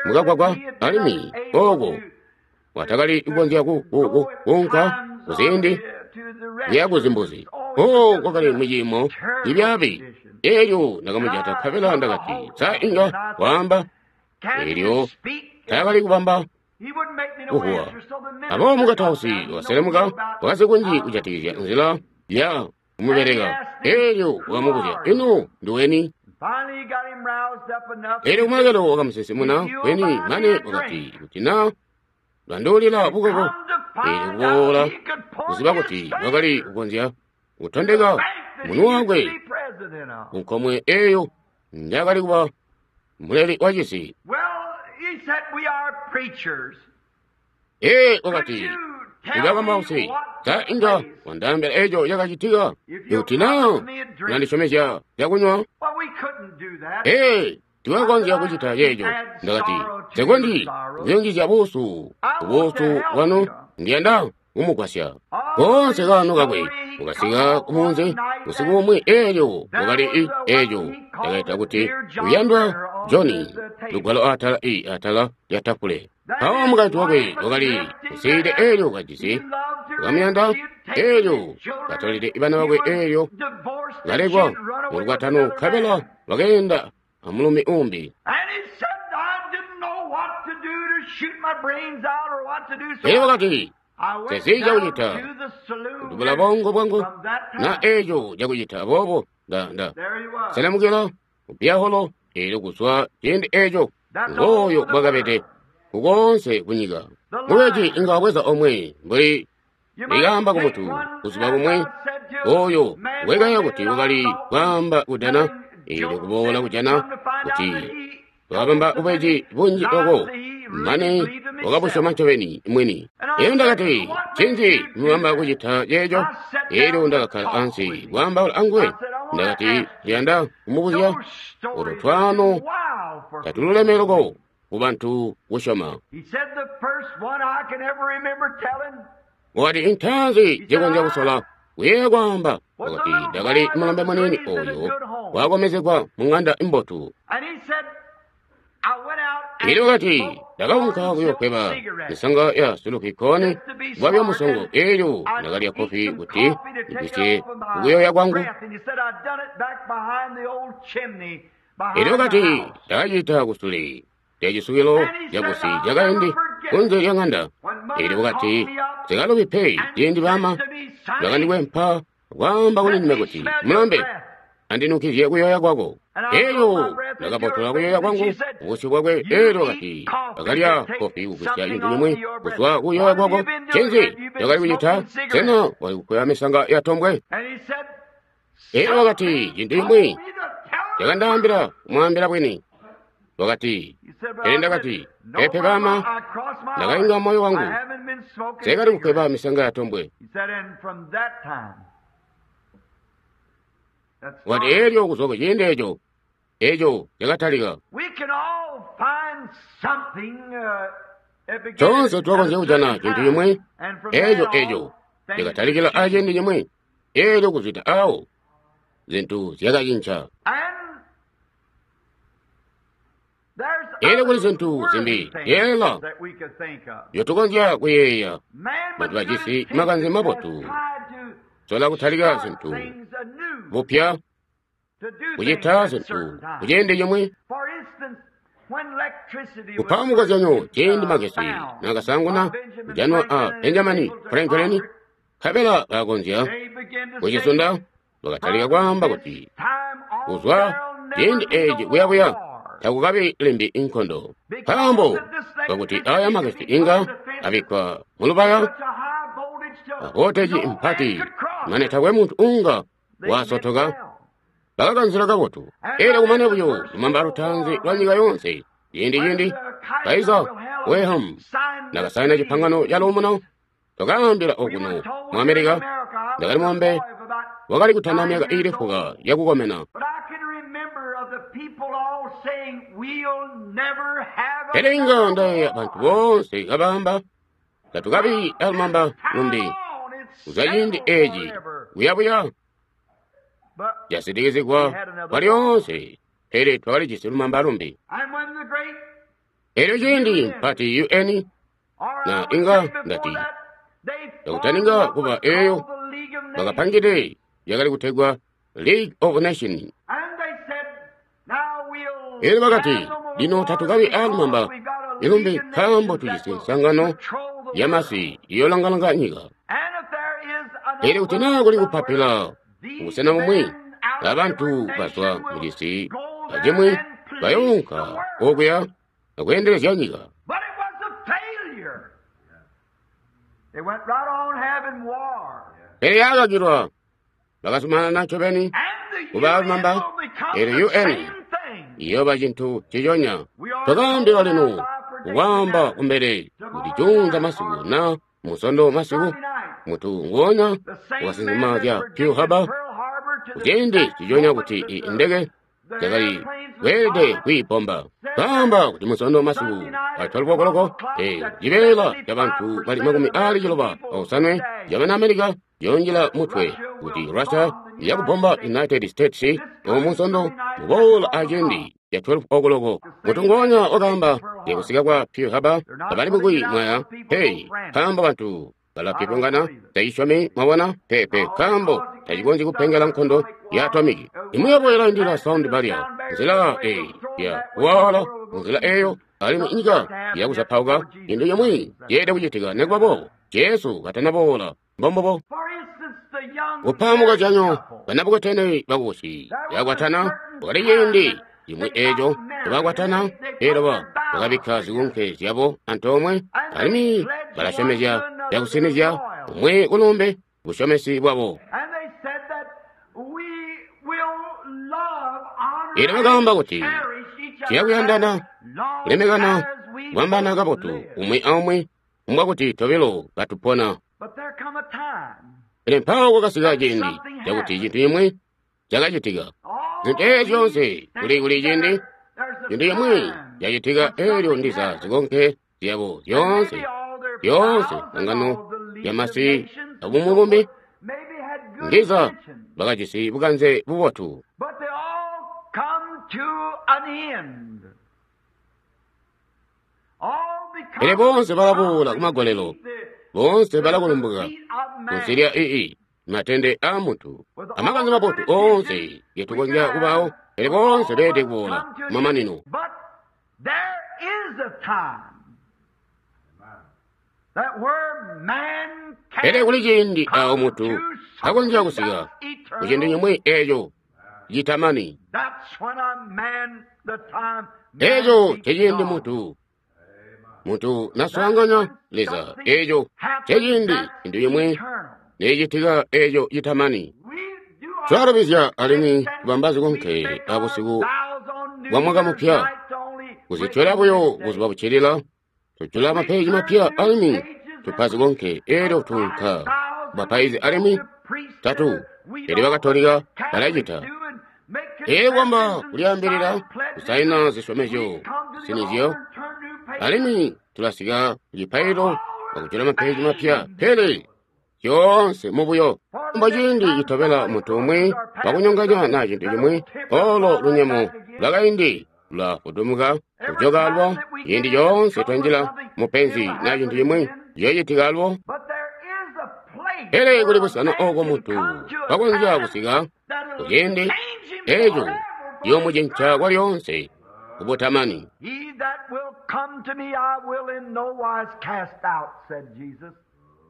A: mukagwagwa, alimwi oko watakali kukonzya kuunka kuziindi kuya kuzimbuzi. O, kwakali muciimo cibyaabi. Elyo ndakamujata nkabela ndakati, sa inga waamba? Elyo taakali kubamba kuhuwa. Aboobo mukatausi wakaselemuka, wakazi kunji kujatikizya nzila ya kumubeleka. Elyo wakamubuzya, ino nduweni? Elyo kumalekelo wakamusinsimuna weni, mane wakati, kuti na lwanduulila bukoko. Elyo kuboola kuziba kuti wakali kukonzya kutondeka munwe wakwe kunkomwe eyo njakali kuba muleli wa cisi. Ee, wakati, ndikakambausi, sa inga wandaambila eco cakacitika kuti na unandisyomezya cakunywa? Ee, tiwakonzya kucita ceeco. Ndakati, sekondi kuyungizya buusu kubuusu bwanu, ndiyanda kumugwasya. Koonse kaano kakwe mukasika kumunzi usiku umwi, eelyo wakali eeco ndakaita kuti uyandwa Johnny lugwalo atala i atala lya tafule. Mpawo mukaintu wakwe wakali kusiide eelyo kajisi wakamuyanda, eelyo katolede bana bakwe, eelyo kalekwa mu lukwatano nkabela wakeenda amulumi umbi. Elyo wakati, sesi cakucita kudubula bongo bwangu na eco cakucita, aboobo nda selemukila kupyaholo. Eelyo kuzwa ciindi eco ngooyo bwakabede kukoonse kunyika. Mubeji inga wabweza omwe mbuli likaamba kumutu kuzuba kumwe, oyo wekaya kuti wakali kwaamba kudana, eelyo kuboola kujana kuti wakabamba bubeji bunji loko mane wakabusyoma ncobeni mwini. Elyo ndakati, ncinzi mubamba kucita ceeco? Elyo ndakakkala ansi kwaambaula anguwe. Ndakati, ndiyanda kumubuzya uto twaano tatululeme loko kubantu kusyoma. Wakati, intanzi zikonzya kusola kuyeeya kwaamba. Wakati, ndakali mulombe muniini oyo wakomezegwa mu ng'anda imbotu. Elyo wakati, ndakaunka kuyokweba misanga ya sulukikoni bwabya musongo. Elyo ndakalya kofi kuti ndigwisye kukuyoya kwangu. Elyo wakati, ndakacita kusule lya cisukilo cabusi cakaindi kunze lya ng'anda. Elyo wakati, sikalubi pe ciindi bama bakandikwempa kwaamba kuli ndime kuti, mulombe, andinukizye kuyoya kwako. Elyo ndakabotola kuyoya kwangu kubusyu bwakwe. Elyo wakati, akalya kofi kugwisya cintu cimwi kuzwa kuyoya kwako. Ncinzi cakali kucita? Sena wali kukweba misanga ya tombwe? Elyo wakati, cintu cimwi cakandaambila kumwaambila bwini. Wakati, pele ndakati, pepe bama, ndakainga moyo wangu, sekali kukweba misanga ya tombwe. Wakati, elyo kuzwa kuciindi eco, eco cakatalika. Toonse twakonzya kujana cintu cimwi, eco eco cakatalikila aciindi cimwi, elyo kuzwida awo zintu zyakacinca. Elyo kuli zintu zimbi yeela nzyotukonzya kuyeeya. Bantu bajisi makanze mabotu sola kutalika zintu bupya, kucita zintu kuciindi cimwi. Kupa mukozyanyo, ciindi magesi naakasanguna kujanwa a Benjamin Franklin, nkabela bakakonzya kucisunda, bakatalika kwaamba kuti kuzwa ciindi eeci kuyabuya takukabi limbi inkondo, nkaambo kakuti aya magesi inga abikkwa mulubaya avoteji mpati mane takwe muntu unga wasotoka. Bakakanzila kabotu. Elyo kumane buyo lumamba lutaanzi lwa nyika yoonse, ciindi Kaiser Wilhelm nakasaina cipangano ca luumuno, twakaambila okuno mu Amerika. Ndakali mulombe wakali kutana myaka iili fuka yakukomena. Pele inga ndayeeya bantu boonse kabaamba, tatukabi alumamba lumbi kuzwa ciindi eci kuyabuya casitikizigwa kwalyoonse. Pele twakali jisi lumamba lumbi. Elyo ciindi mpati UN na inga ndati yakutaninga kuba eyo bakapangide yakali kutegwa League of Nations. Elyo bakati, lino tatukabi aalumamba ilumbi nkaambo tujisi nsangano yamasi iyolangalanga nyika. Elyo kuti naa kuli kupapila kubusena bumwi, abantu bazwa mucisi acimwi bayounka okuya akweendelezya nyika. Pele yakakilwa, bakazumanana ncobeni kuba lumamba. Elyo UN iyooba cintu ciconya. Twakaambilwa lino kukwaamba kumbele kuti juunza masiku na musondo masiku mutu nguonya wakasinsima zya Pearl Harbor kuciindi ciconya kuti indeke zyakali kweelede kwiipomba. Kaamba kuti musondo masiku a 12 okoloko cibeela ca bantu bali 95 cabana America yonjila mutwe kuti Russia yakubomba United States omusondo muboola aciindi ya 12 okoloko. Mutu nguonya wakaamba yakusika kwa Pearl Harbor abali mukwi mwaya, hey, nkaambo bantu balapipungana tacisyomi mwabona pepe nkaambo tacikonzyi kupengela nkondo ya atomiki. Imwi yabo ilaindila sound barrier nzila eyi ya kuwaala nzila eyo alimwi inyika yakuzapauka. Cintu cimwi ceelede kucitika nekuba boobo Jesu katanaboola. Mbombobo kupamuka canyo banabukwetene bakubusi yakwatana wakali ciindi cimwi eeco tebakwatana elyo bakabikka zikunke zyabo antoomwe alimwi balasyomezya zyakusinizya umwi kulumbe busyomesi bwabo. Elyo bakaamba kuti tuyakuyandana, kulemekana, kubambana kabotu umwi aumwi mbwakuti tobilo katupona. Pele mpawo kwakasika ciindi cakuti cintu cimwi cakacitika. Zintu eezi zyoonse kuli ciindi cintu cimwi cacitika elyo ndiza zikonke zyabo zyoonse zyoonse sangano lyamasi abumwi bumbi ndiza bakajisi bukanze bubotu. Pele boonse balaboola kumagolelo, boonse balakulumbuka kunsi lya ii matende a muntu amakanze mabotu oonse getukonzya kubawo, pele boonse beelede kuboola kumamanino. Pele kuli ciindi awo muntu akonzya kusika kucintu cimwi eeco citamani. Eeco nceciindi muntu naswaanganya Leza. Eeco nceciindi cintu cimwi necitika eeco citamani. Twalubizya alimwi tubamba zikonke abusiku bwa mwaka mupya, kuzityola buyo buzuba buccilila, tujula mapeji mapya alimwi tupa zikonke elyo tuunka bapaizi alimwi tatu elyo bakatolika balacita. Elyo kwamba kulyaambilila kusaina zisyomezyo zisinizyo, alimwi tulasika kucipailo akujula mapeji mapya, pele zyoonse mubuyo. Mbo ciindi citobela muntu umwi wakunyonganya na cintu cimwi, olo lunyemo lwakaindi lulafudumuka kujoka alwo. Ciindi coonse twanjila mupenzi na cintu cimwi ciyocitika alwo. Pele kuli busena oko muntu wakonzya kusika kuciindi eco ciyoomucinca kwalyoonse kubutamani.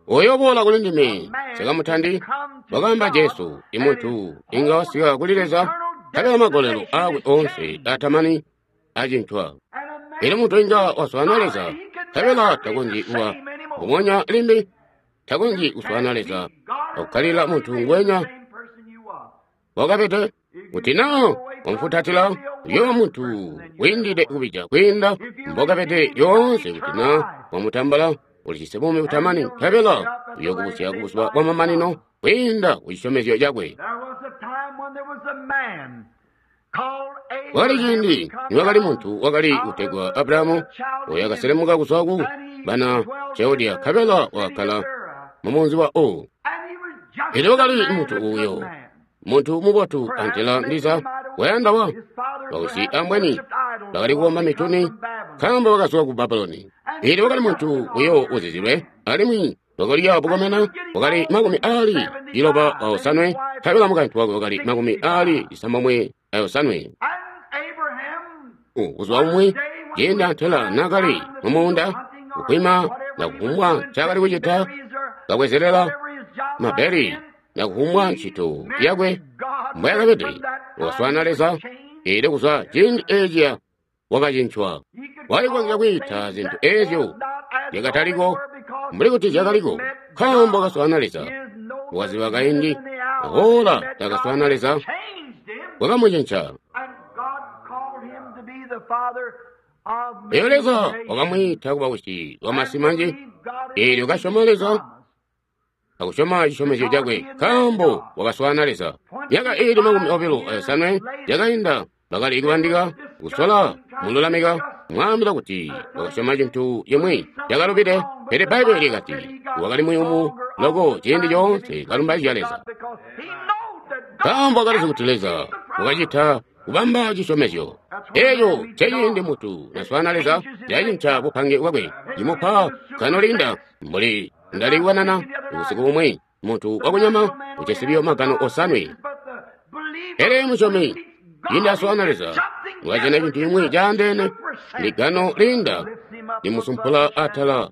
A: Uyo boola kuli ndime nsikamutandi, wakaamba Jesu. Imuntu inga wasika kuli Leza nkabela magolelo aakwe oonse atamani acincwa. Elyo muntu inga waswaana Leza nkabela takonzyi kuba mbubonya limbi, takonzyi kuswaana Leza akukkalila muntu ngwenya wakabede. Kuti naa wamfutatila, uyooba muntu wiindide kubija kwiinda mbokabede lyoonse. Kuti naa wamutambula, ulijisi buumi butamani nkabela uyookubusya kubuzuba bwamamanino kwiinda kucisyomezyo cakwe. Kwakali ciindi niwakali muntu wakali kutegwa Abrahamu, oyo akaselemuka kuzwa ku bana Chaldea nkabela wakakkala mumunzi wa Ur. Elyo wakali muntu uyo, muntu mubotu antela ndiza Wayanda wa bawisi ambweni bakali kukomba mituni nkaambo bakazwa ku Babuloni. Pele wakali muntu buyo uzizilwe, alimwi wakali bukomena, wakali 97, nkabela mukaintu wakwe wakali 97. Kuzwa umwi ciindi antela naakali mumuunda kukwima na kufumbwa ncaakali kucita, kabwezelela mabeli na kufumbwa ntchito yakwe mbwayakabede, wakaswaana Leza. Eelyo kuzwa ciindi eeciya wakacincwa. Walikonzya kwiita zintu eezyo zyakataliko mbuli kuti zyakaliko, nkaambo wakaswaana Leza. Wakaziba kaindi ahoola takaswaana Leza, wakamucinca. Eelyo Leza wakamwiita kuba wisi wamasi manji. Eelyo kasyoma Leza akusyoma cisyomezyo cakwe, nkaambo wakaswaana Leza. Myaka iili 25 yakainda bakali kubandika, kusola mululamika, mwaambila kuti wakasyoma cintu cimwi cakalubide. Pele Bbaibbele likati wakali muyumu loko ciindi coonse kalumbaizya Leza, nkaambo wakalizi kuti Leza wakacita kubamba cisyomezyo. Eeco nceciindi mutu naswaana Leza, cacinca bupange bwakwe, cimupa kanolinda. Mbuli ndaliwanana usiku umwi, muntu wakunyama ujisi biyo magano 7. Pele musyomi ciindi aswaana Leza, wakajana cintu cimwi caandeene, ligano linda limusumpula atala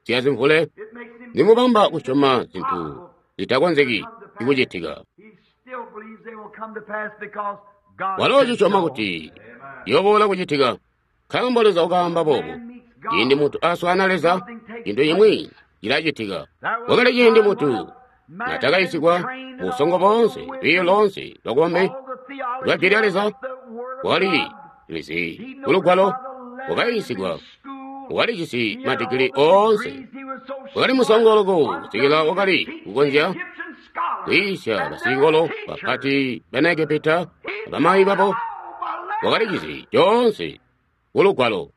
A: zyazimvule, limubamba kusyoma zintu zitakonzeki kucitika. Walo cisyoma kuti yoboola kucitika, nkaambo Leza wakaamba boobo. Ciindi muntu aswaana Leza, cintu cimwi cilacitika. Wakali ciindi muntu natakayisigwa busongo boonse, lwiiyo loonse lwakombe lwa jwi lya Leza, wakali lizi kulugwalo, wakayisigwa, wakalijisi madigili oonse, wakali musongo loko kusikila wakali kukonzya kwiisya basicikolo bapati bana Egepita abamayi babo. Wakalijisi coonse kulugwalo.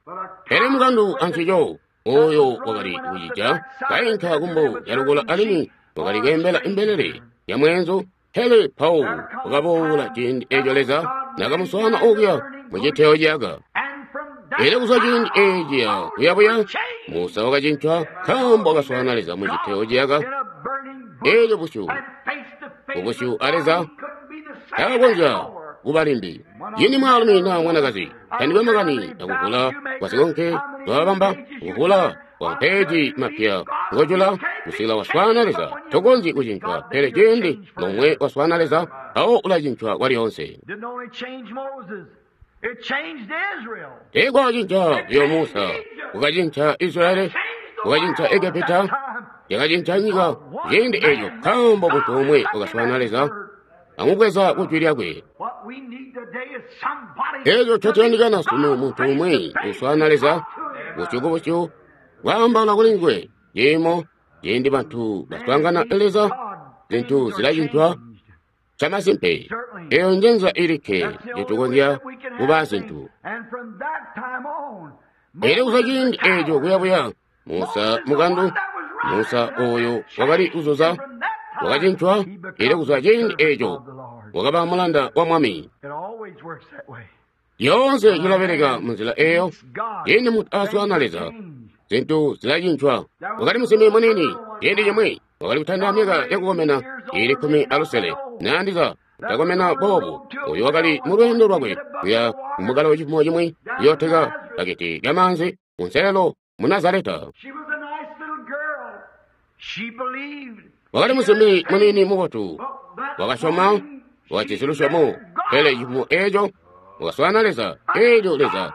A: Pele mukandu ancico oyo wakali kucija kainka kumbo yalukula, alimwi wakali kweembela imbelele ya mweenzu. Pele Paulo wakaboola ciindi eeco Leza nakamuswaana okuya muciteyo ciyaka. Eelyo kuzwa ciindi eeciya kuyabuya, Musa wakacincwa, nkaambo wakaswaana Leza muciteyo ciyaka. Eelyo busyu kubusyu a Leza takakonzya kuba limbi. Ciindi mwaalumi naa mwanakazi tandikwe makani akuvula kwasikonke lwabamba, kuvula kwa mapeeji mapya ngojula kusikila waswaana Leza, tokonzyi kucincwa. Pele ciindi lomwe waswaana Leza, mpawo ulacincwa kwalyoonse. Teekwacinca buyo Musa, kukacinca Israeli, kukacinca Egepita, yakacinca nyika ciindi eeco, nkaambo muntu omwe wakaswaana Leza amubweza kujwi lyakwe. Eeco ncotuyandikana sunu, muntu umwi uswaana Leza busyu kubusyu, kwaambaula kuli nguwe. Ciimo ciindi bantu baswaangana Leza, zintu zilacincwa camasimpe. Eeyo njenza ilikke njetukonzya kuba zintu. Eelyo kuzwa ciindi eeco kuyabuya, Musa mukandu, Musa oyo wakali kuzuza, wakacincwa. Eelyo kuzwa ciindi eeco wakaba mulanda wa Mwami. Lyoonse cilabeleka munzila eeyo. Ciindi muntu aswaana Leza, zintu zilacincwa. Wakali musimbi muniini ciindi cimwi wakali kutanda myaka yakukomena iili 16, naandiza kutakomena boobu. Oyo wakali mu lweendo lwakwe kuya kumukalo cifumo cimwi kuyooteka baketi lya maanzi kunselelo mu Nazareta. Wakali musimbi muniini mubotu, wakasyoma, wakajisi lusyomo. Pele cifumo eeco wakaswaana Leza. Eelyo Leza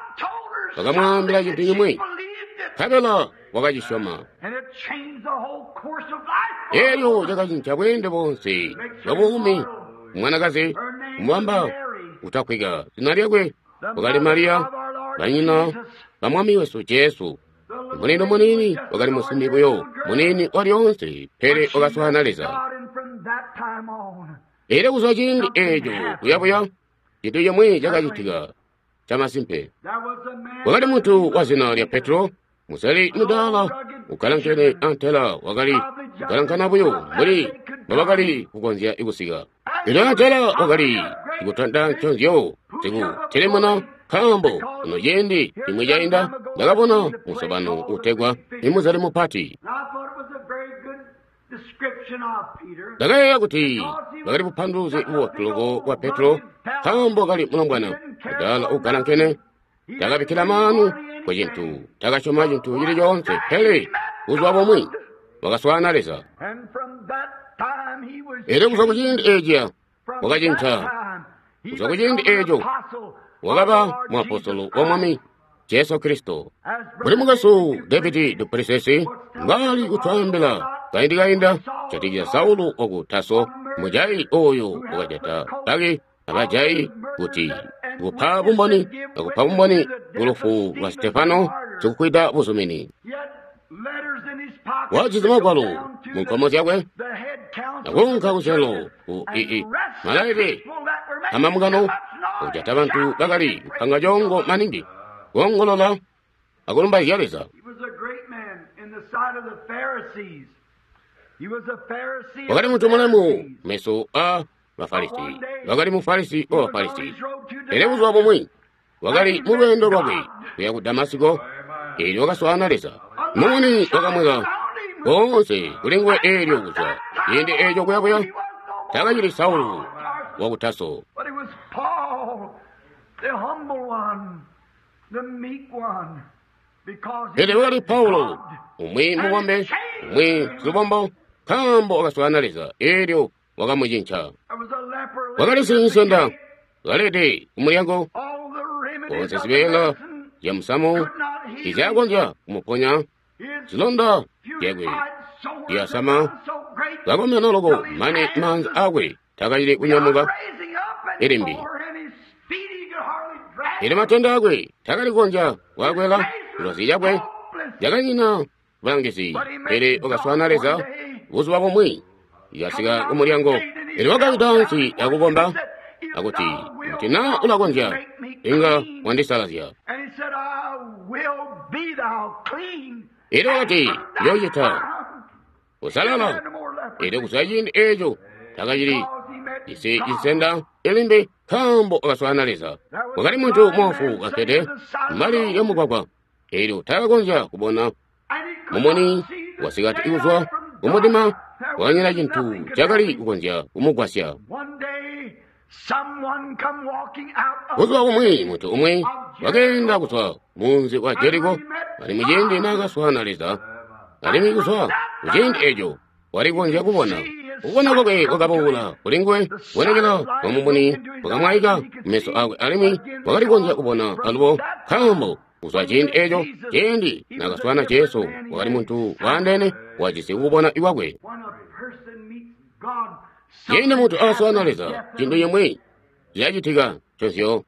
A: wakamwaambila cintu cimwi, nkabela wakacisyoma. Eelyo cakacinca bweende boonse bwa buumi. Mwanakazi kumubamba kutakwika, zina lyakwe wakali Mariya, banyina ba Mwami wesu Jesu. Muniini muniini wakali musimbi buyo muniini walyoonse, pele wakaswaana Leza. Eelyo kuzwa ciindi eeco kuyabuya, cintu cimwi cakacitika camasimpe. Wakali muntu wa zina lya Petro, museli mudaala ukalankene antela wakali kukalankana buyo mbuli mbobakali kukonzya kusika. Elyo antela wakali Sikutanta nconzyo, sikutilimuna, nkaambo kuno ciindi cimwi cainda ndakabona musobano utegwa imuzali mupati. Ndakayeeya kuti bakali bupanduluzi bubotu loko bwa Petro, nkaambo kali mulombwana mudaala ugalankene, takabikkila maanu ku cintu, takasyoma cintu cili coonse, pele buzuba bumwi wakaswaana Leza. Elyo kuzwa ku ciindi eeciya wakacinca. Kuzwa ku ciindi eeco wakaba muapostolo wa Mwami Jesu Kristo. Mbuli mukwesu David duPlessis mbwali kutwaambila kaindi kainda kujatikizya Saulu waku Taso, mujayi oyo wakajata baki abajayi kuti kupa bumboni akupa bumboni kulufu lwa Stefano sikukwida buzumini. Wajisi magwalo mu nkomo zyakwe nakuunka kucelo ku ii malaile amamukano kujata bantu bakali kupanga coongo maningi kuongolola akulumbaizya Leza. Wakali muntu mulemu meso a Bafarisi, wakali Mufarisi wa Bafarisi. Pele buzuba bumwi wakali mu lweendo lwakwe kuya ku Damasiko, eelyo wakaswaana Leza. Mumuni wakamweka koonse kuli nguwe eelyo kuzwa ciindi eeco kuyakuya takacili Saulu waku Taso. Pele wakali Paulo, umwi mubombe, umwi silubombo, nkaambo wakaswaana Leza eelyo wakamucinca. Wakali sinsenda kalede kumulyango, koonse zibeela zya musamu tizyakonzya kumuponya, zilonda zyakwe zyasama kakomena loko mane maanza akwe takacili kunyamuka ilimbi. Elyo matende akwe takali kukonzya kwakwela kulozi cakwe yakanyina bulangizi, pele wakaswaana Leza buzuba bumwi yakasika kumulyango. Elyo wakawida ansi akukomba akuti, kuti naa ulakonzya inga wandisalazya. Elyo wakati, yoocita kusalala. Elyo kuzwa ciindi eeco takacili jisi cinsenda ilimbi, nkaambo wakaswaana Leza. Wakali muntu moofu kakkede mbali yamugwagwa, elyo takakonzya kubona mumuni wasikati kuzwa kumudima, wakanyina cintu cakali kukonzya kumugwasya. Buzuba bumwi muntu umwi wakeenda kuzwa munzi wa Jeriko, alimwi ciindi naakaswaana Leza, alimwi kuzwa kuciindi eeco walikonzya kubona. Kubona kwakwe kwakaboola kuli nguwe, kubonekela kwa mumuni kwakamwaika kumeso akwe, alimwi wakalikonzya kubona alubo, nkaambo kuzwa ciindi eeco ciindi naakaswaana Jesu wakali muntu waandeene wajisi kubona ikwakwe. Ciindi muntu aswaana Leza, cintu cimwi cyacitika nconzyo.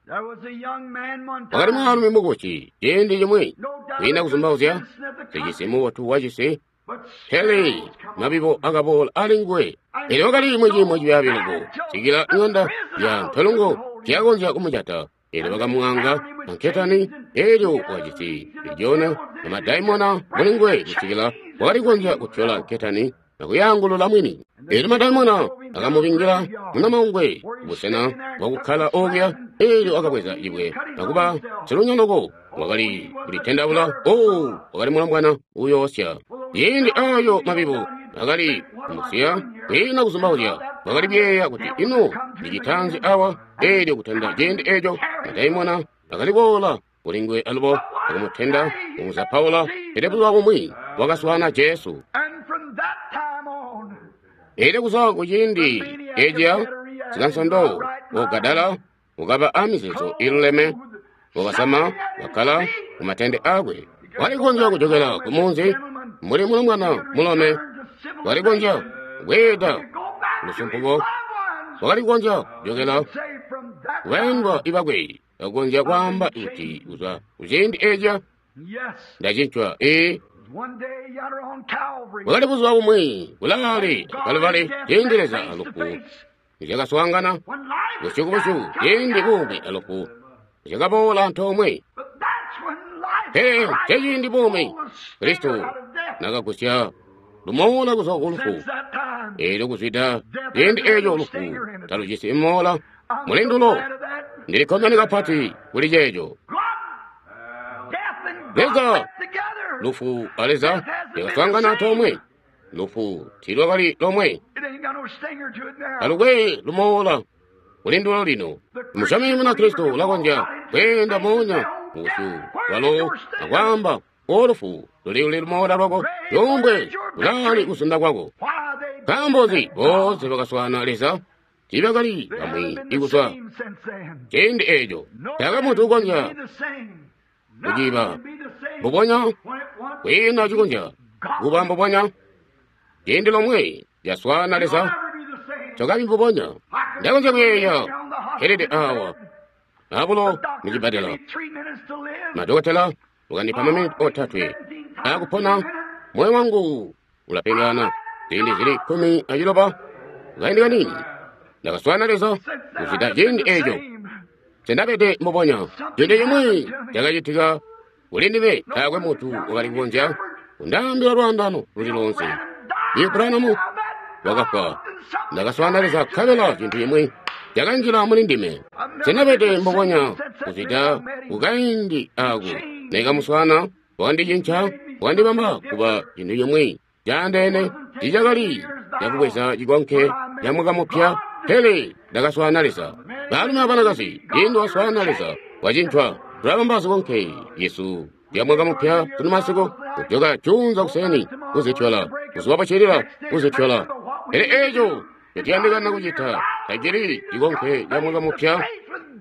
A: Wakali mwaalumi mukuci ciindi cimwi, kwiina kuzumbauzya, sicisi mubotu wacisi, pele mabibo akaboola ali nguwe. Elyo wakali mu ciimo cibyaabi loko, sikila ng'anda ya ntolongo tiyakonzya kumujata. Elyo bakamwaanga anketani, elyo wajisi lijona na madaimona muli nguwe kusikila wakali kukonzya kutyola nketani akuyaangulula mwini. Elyo madaimona akamubingila munamangwe kubusena bwakukkala okuya, elyo akabweza libwe akuba silunyoloko wakali kulitendaula. Oh, wakali mulombwana uyoosya. Ciindi ayo mabibo akali kumusiya kwiina kuzumbauzya, wakali kuyeeya kuti ino ndicitanzi awa. Elyo kutenda ciindi eeco madaimona akali boola kuli nguwe alubo akumutenda kumuzapaula. Pele buzuba bumwi wakaswaana Jesu. Elyo kuzwa kuciindi eeciya sikansondo wogadala wakaba amizeezo iluleme, wakasama wakkala kumatende akwe. Walikonzya kujokela kumunzi mbuli mulombwana mulome, walikonzya kubweeda lusumpuko, wakalikonzya kujokela kubayandwa ibakwe, akukonzya kwaamba kuti kuzwa kuciindi eeciya ndacincwa. Ee, wakali buzuba bumwi kulaale Kaluvali, ciindi Leza alufu nizyakaswaangana busyu kubusyu, ciindi buumi alufu nizyakaboola antoomwe. Pele nceciindi buumi Kristo nakagusya lumoola kuzwa ku lufu. Eelyo kuzwida ciindi eeco lufu talujisi moola Mulindulo, Ndili kkomene kapati kuli ceeco. Leza, lufu a Leza lyakaswaangana antoomwe. Lufu tiilwakali lomwe. Alukwe lumoola kulindulo lino. Musyomi Munakristo ulakonzya kweenda moonya mubusyu bwalo akwaamba, O lufu, luli lumoola lwako, yombwe kulaali kusunda kwako. Nkaambo nzi boonse bakaswaana Leza tiibakali bamwi ikuzwa ciindi eeco. Taakwe muntu ukonzya kuciba mbubonya, kwiina cikonzya kuba mbubonya. Ciindi lomwe lyaswaana Leza, tokabi mbubonya. Ndakonzya kuyeeya kelede awa abulo mucibbadela. Madokotela wakandipa maminiti 3 akupona. Moyo wangu ulapengana ziindi zili 16 kaindi kanini. Ndakaswaana Leza kuzwida ciindi eeco. Sendabede mbubonya. Ciindi cimwi cakacitika kuli ndime, taakwe muntu wakali kukonzya kundaambila lwaandano luli loonse. Branham wakafwa. Ndakaswaana Leza nkabela cintu cimwi cakanjila muli ndime. Sendabede mbubonya kuzwida kukaindi ako. Nekamuswaana, wakandicinca, wakandibamba kuba cintu cimwi caandeene. Tiicakali cakubweza cikonke ca mwaka mupya, pele ndakaswaana Leza. Baalumi abanakazi, ciindi waswaana Leza, wacincwa. Tulabamba zikonke yesu lya mwaka mupya sunu masiku, kujoka juunza kuseni kuzityola, buzuba buccilila kuzityola. Pele eeco ncotuyandikana kucita tacili cikonke ca mwaka mupya,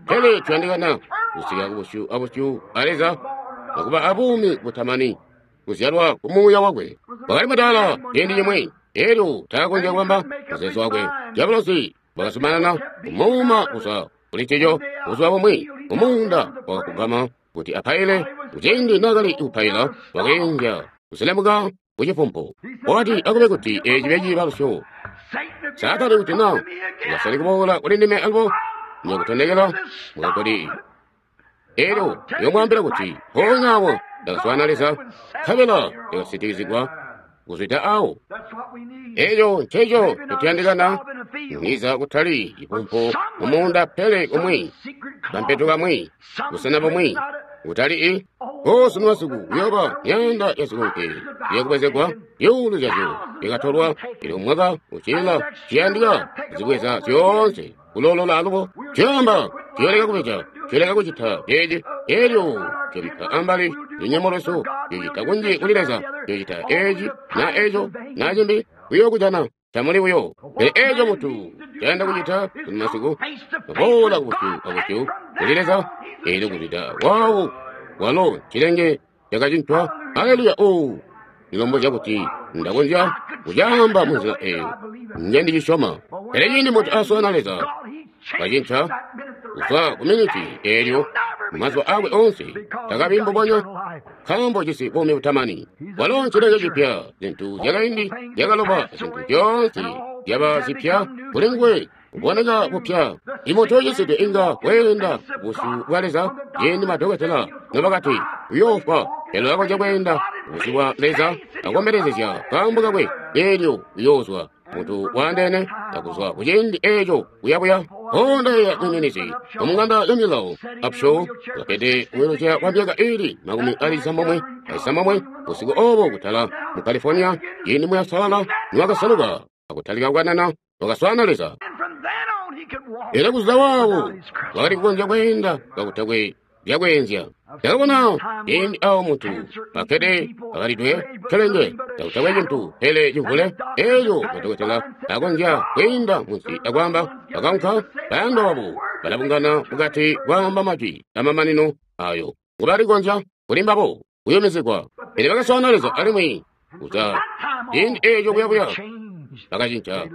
A: pele tuyandikana kusika kubusyu abusyu a Leza akuba abuumi butamani, kuzyalwa ku Muuya wakwe. Wakali mudaala ciindi cimwi, elyo taakonzya kubamba muzeezo wakwe. Diabolosi wakazumanana kumuuma kuzwa kuli ncico buzuba bumwi. Mumuunda wakakugama kuti apaile. Kuciindi naakali kupaila, wakeenzya kuselemuka kucifumpu. Wakati akube kuti eeci cibe ciibalusyo. Saatani kuti na ukasale kuboola kuli ndime alubo nyokutonekela mukakoli. Elyo yomwaambila kuti mpoonya awo ndakaswaana Leza, nkabela ndakasitikizigwa kuzwida awo. Eeco nceco ncotuyandikana, niza kutali cifumpu mumuunda, pele kumwi kampetu kamwi, busena bumwi, kutali i sunu masiku kuyooba myaanda ya zikonke iyakubwezegwa, zyuulu zyazyo zyakatolwa. Elyo mwaka uccilila ciyandika kuzibweza zyoonse kuloolola alubo. Tuyamba tuyooleka kubeja, tuyooleka kucita ceeci. Elyo tuyobikka ambali lunyemo lwesu, tuyocita kunji kuli Leza, tuyocita eeci na eeco na cimbi, kuyookujana tamuli buyo. Pele eeco muntu cayanda kucita sunu masiku, kuboola kubusyu abusyu kuli Leza, elyo kuzwida waawo walo cilenge cakacincwa. Aleluya! O ndilombozya kuti ndakonzya kucaamba munzila eyo njendicisyoma. Pele ciindi muntu aswaana Leza, wacinca kuzwa ku miniti eelyo mumazuba akwe oonse takabi mbubonya, nkaambo jisi buumi butamani. Walo ncilenge cipya, zintu zyakaindi zyakaloba, zintu zyoonse zyaba zipya kuli nguwe, kuboneka kupya. Imuntu ucisidwe inga weenda busyu bwa Leza. Ciindi madokotela nobakati uyoofwa, pele ulakonzya kweenda busyu bwa Leza akombelezezya kaambo kakwe, eelyo uyoozwa muntu waandeene akuzwa kuciindi eeco kuyabuya. Honda ya mwiminizi omung'anda ya milawo Upshaw wakede kuweluca kwa myaka ili 96 busiku obo kutala mu California, ciindi muyasalala niwakasaluka akutalika kukanana, wakaswaana Leza. Era kuzwa waawo wakali kukonzya kweenda kakutakwe byakweenzya. Ndakabona ciindi awo muntu akkede akalidwe kelenge kakutakwe cintu pele cimvule, elyo madokotela akonzya kwiinda munsi akwaamba bakaunka bayandwa babo balabungana mukati kwaamba majwi amamanino ayo ngobalikonzya kuli mbabo kuyumizigwa. Pele bakaswaana Leza alimwi kuzwa ciindi eeco kuyabuya bakacinca,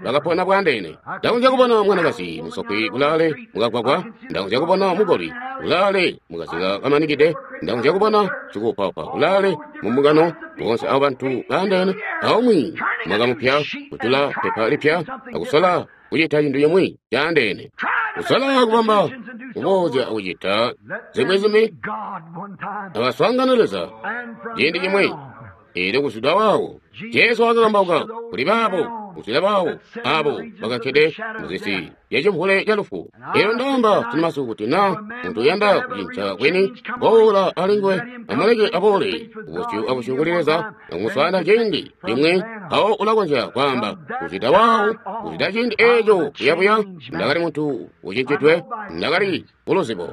A: bakapona bwandeene. Ndakonzya kubona mwanakazi musokwi kulaale mukagwagwa, ndakonzya kubona mugoli kulaale mukazila kamanikide, ndakonzya kubona sikuupaupa kulaale mumbungano. Boonse abo bantu baandeene, aumwi mwaka mupya kutula pepa lipya akusola kucita cintu cimwi caandeene, kusola kubamba kuboozya akucita zimwi zimwi. Abaswaangana Leza ciindi cimwi, eelyo kuzwida waawo Jesu wakakambauka kuli baabo kuzwida bawo abo bakakkede muzisi zyacimvule ca lufu. Elyo ndaamba sunumasiku kuti na muntu uyanda kucinca kweni, boola alinguwe, amuleke aboole kubusyu abusyu kuli Leza, akumuswaana ciindi cimwi, mpawo ulakonzya kwaamba kuzwida waawo, kuzwida ciindi eeco kuyabuya, ndakali muntu ucincidwe, ndakali kuluzibo.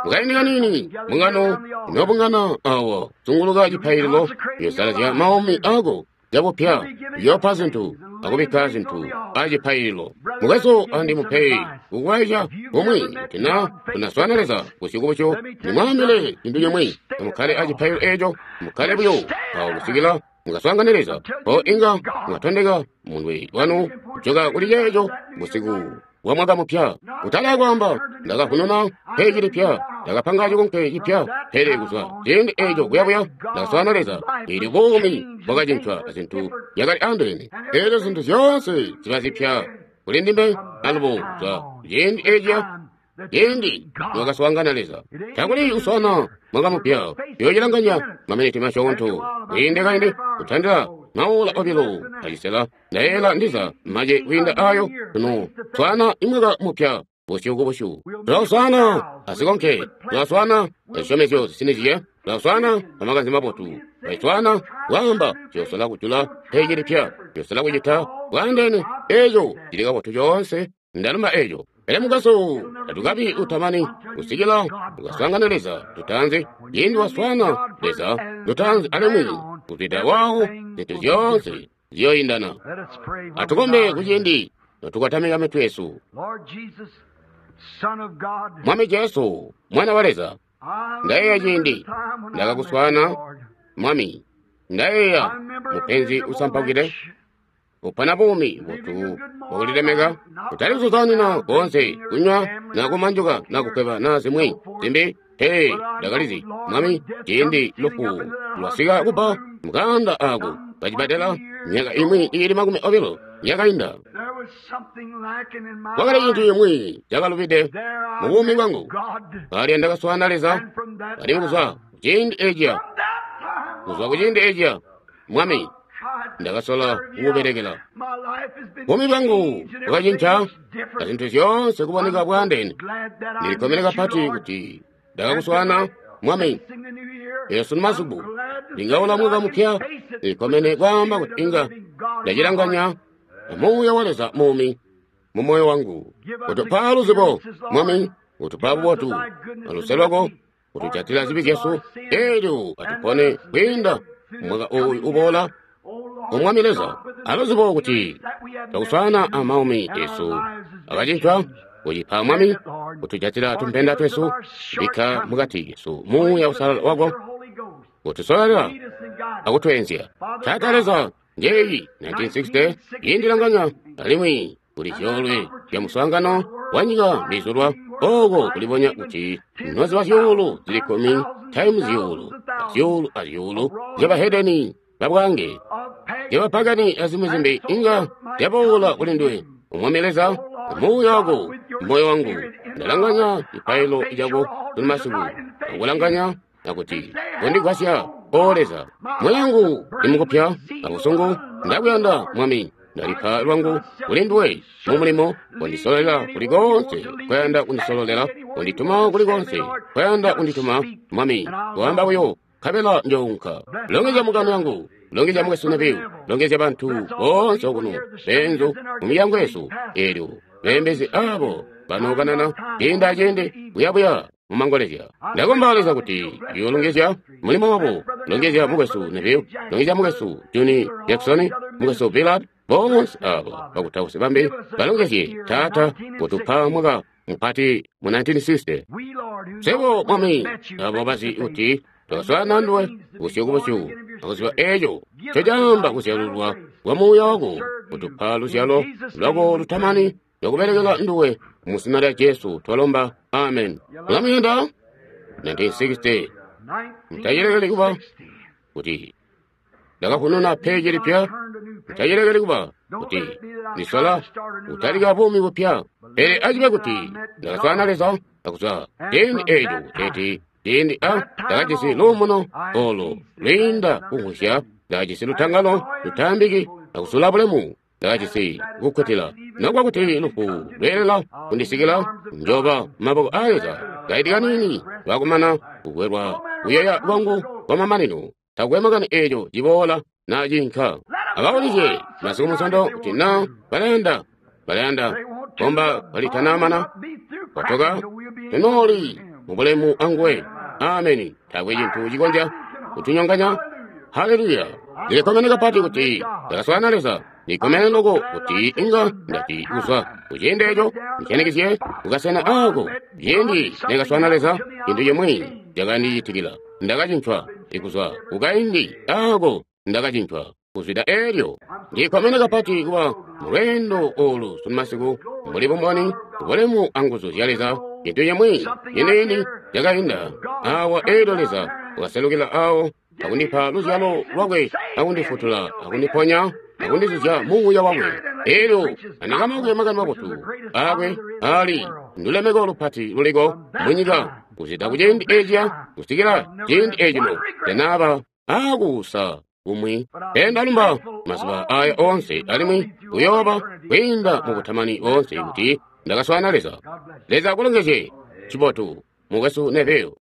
A: Mukaindi kaniini, mbungano inobungana awo zunguluka cipaililo, uyosalazya maumi ako cabupya, uyoopa zintu akubikka zintu acipaililo. Mukwesu andi mupe kukulwaizya kumwi kuti na tunaswaana Leza busyu kubusyu, nimwaambile cintu cimwi, amukkale acipaililo eeco, mukkale buyo awo kusikila mukaswaangane Leza, mpo inga mwatondeka munwe wanu kujoka kuli ceeco busiku bwa mwaka mupya. Kutali kwaamba ndakavununa peji lipya, ndakapanga cikonke cipya, pele kuzwa ciindi eeco kuyabuya ndakaswaana Leza, eelyo buumi bwakacincwa azintu zyakali andeene. Eelyo zintu zyoonse ziba zipya kuli ndime alubo kuzwa ciindi eeciya, ciindi niwakaswaangana Leza. Takuli kuswaana mwaka mupya, uyoocilanganya maminiti masyoonto kwiinde kaindi kutandila maola 2.5, ndayeeyela ndiza mace kwiinda ayo tuno swaana imwaka mupya busyu ku busyu. Tulaswaana azikonke, tulaswaana azisyomezyo zisinizye, tulaswaana amakanze mabotu, tulaswaana kwaamba tuyosola kujula peji lipya, tuyosola kucita bwaandeene. Eeco cili kabotu coonse, ndalumba eeco. Pele mukwesu, tatukabi utamani kusikila tukaswaangane Leza lutaanzi. Ciindi waswaana Leza lutaanzi alimwi kuzwida waawo, zintu zyoonse ziyoindana. Atukombe kuciindi notukotamika mitwe yesu. Mwami Jesu, Mwana wa Leza, ndayeeya ciindi ndakakuswaana, Mwami, ndayeeya mupenzi usampaukide, upana buumi butu bwakulilemeka, kutali kuzuzanina koonse, kunywa na kumanjuka na kukweba na zimwi zimbi. Pele ndakalizi, Mwami, ciindi lufu lwasika kuba mukanda ako kacibadela myaka imwi iili 20 yakainda. Kwakali cintu cimwi cakalubide mu buumi bwangu. Kali ndakaswaana Leza, alimwi kuzwa kuciindi eeciya, kuzwa kuciindi eeciya, Mwami, ndakasola kukubelekela. Buumi bwangu bwakacinca azintu zyoonse kuboneka bwaandeene. Ndilikkomene kapati kuti ndakakuswaana, Mwami. Eelyo sunu masiku ndingaula mwaka mupya, ndilikkomene kwaamba kuti inga ndacilanganya amuuya wa Leza muumi mu moyo wangu. Utupa luzibo, Mwami, utupa bubotu aluse lwako, utujatila zibi zyesu, eelyo atupone kwiinda mwaka ooyu uboola. Omwami Leza, aluzibo kuti twakuswaana amaumi esu akacincwa, kucipa Mwami, kutujatila tumpenda twesu, kubikka mukati kesu muuya usalala wako, kutusololera akutweenzya. Taata Leza, njeeyi 1960 yindilanganya alimwi kuli zyoolwe zya muswaangano wa nyika mbizulwa, ooko kulibonya kuti noziba zyuulu zili 10 times zyuulu azyuulu azyuulu zyabahedeni babwange zyabapagani azimwi zimbi inga zyaboola kuli nduwe. Omwami Leza, muuya wako moyo wangu, ndalanganya cipaililo cako sunu masiku, akulanganya akuti kondigwasya, O Leza. Moyo wangu ndimukupya abusungu, ndakuyanda Mwami, ndalipa lwangu kuli nduwe mu mulimo, kondisololela kuli koonse kwayanda kundisololela, kondituma kuli koonse kwayanda kundituma, Mwami, kwaamba buyo nkabela njounka. Longezya mukano yangu, longezya mukwesu Neville, longezya bantu boonse okuno, beenzu mu milyango yesu, eelyo beembezi abo banookanana ciindi aciindi kuyabuya mumangolezya. Ndakomba Leza kuti uyoolongezya mulimo wabo, longezya mukwesu Neville, longezya mukwesu Juni Jackson, mukwesu Billard, boonse abo bakutausi bambi, balongezye Taata kutupa mwaka mupati mu 1960. Sebo Mwami, abo bazi kuti twakaswaana nduwe busyu ku busyu, akuziba eeco ncocaamba kuzyalulwa kwa muuya wako, kutupa luzyalo lwako lutamani lwakubelekela nduwe. Mu zina lya Jesu twalomba, amen. Mulamuyanda 1960 mutacilekeli kuba kuti ndakavununa peji lipya, mutacilekeli kuba kuti ndisola kutalika buumi bupya, pele acibe kuti ndakaswaana Leza akuzwa ciindi eeco kuteeti ciindi a ndakajisi luumuno olo lwiinda kumvwisya, ndakajisi lutangalo lutaambiki akusula bulemu. Ndakajisi kukkutila. Nokuba kuti lufu lweelela kundisikila, njooba maboko aa Leza. Kaindi kaniini lwakumana kukwelwa kuyeeya kwangu kwamamanino, takukwe makani eeco ciboola naa ciinka. Ababulizye masiku Munsondo kuti naa balayanda, balayanda komba kalitanamana kwatoka, tunooli mubulemu anguwe. Ameni. Taakwe cintu cikonzya kutunyonganya. Haleluya! Ndilikkomene kapati kuti ndakaswaana Leza. Ndikkomene loko kuti inga ndati kuzwa kuciindi eco ndicanikizye kukasena aako. Ciindi ndakaswaana Leza, cintu cimwi cakandicitikila. Ndakacincwa kuzwa kukaindi aako, ndakacincwa kuzwida eelyo. Ndikkomene kapati kuba mulweendo olu sunu masiku mbuli bumboni, bulemu anguzu zya Leza. Cintu cimwi ciniini cakainda awa eelyo Leza wakaselukila awo akundipa luzyalo lwakwe, akundifutula, akundiponya, akundizuzya muuya wakwe. Eelyo andikamaukile makani mabotu aakwe ali ndulemeko lupati luliko munyika kuzwida kuciindi eciya kusikila ciindi ecino tanaaba aakuusa kumwi. Pele ndalumba mazuba aya oonse alimwi kuyooba kwiinda mubutamani oonse kuti ndakaswaana Leza. Leza akulongezye. Cibotu, mukwesu Neville.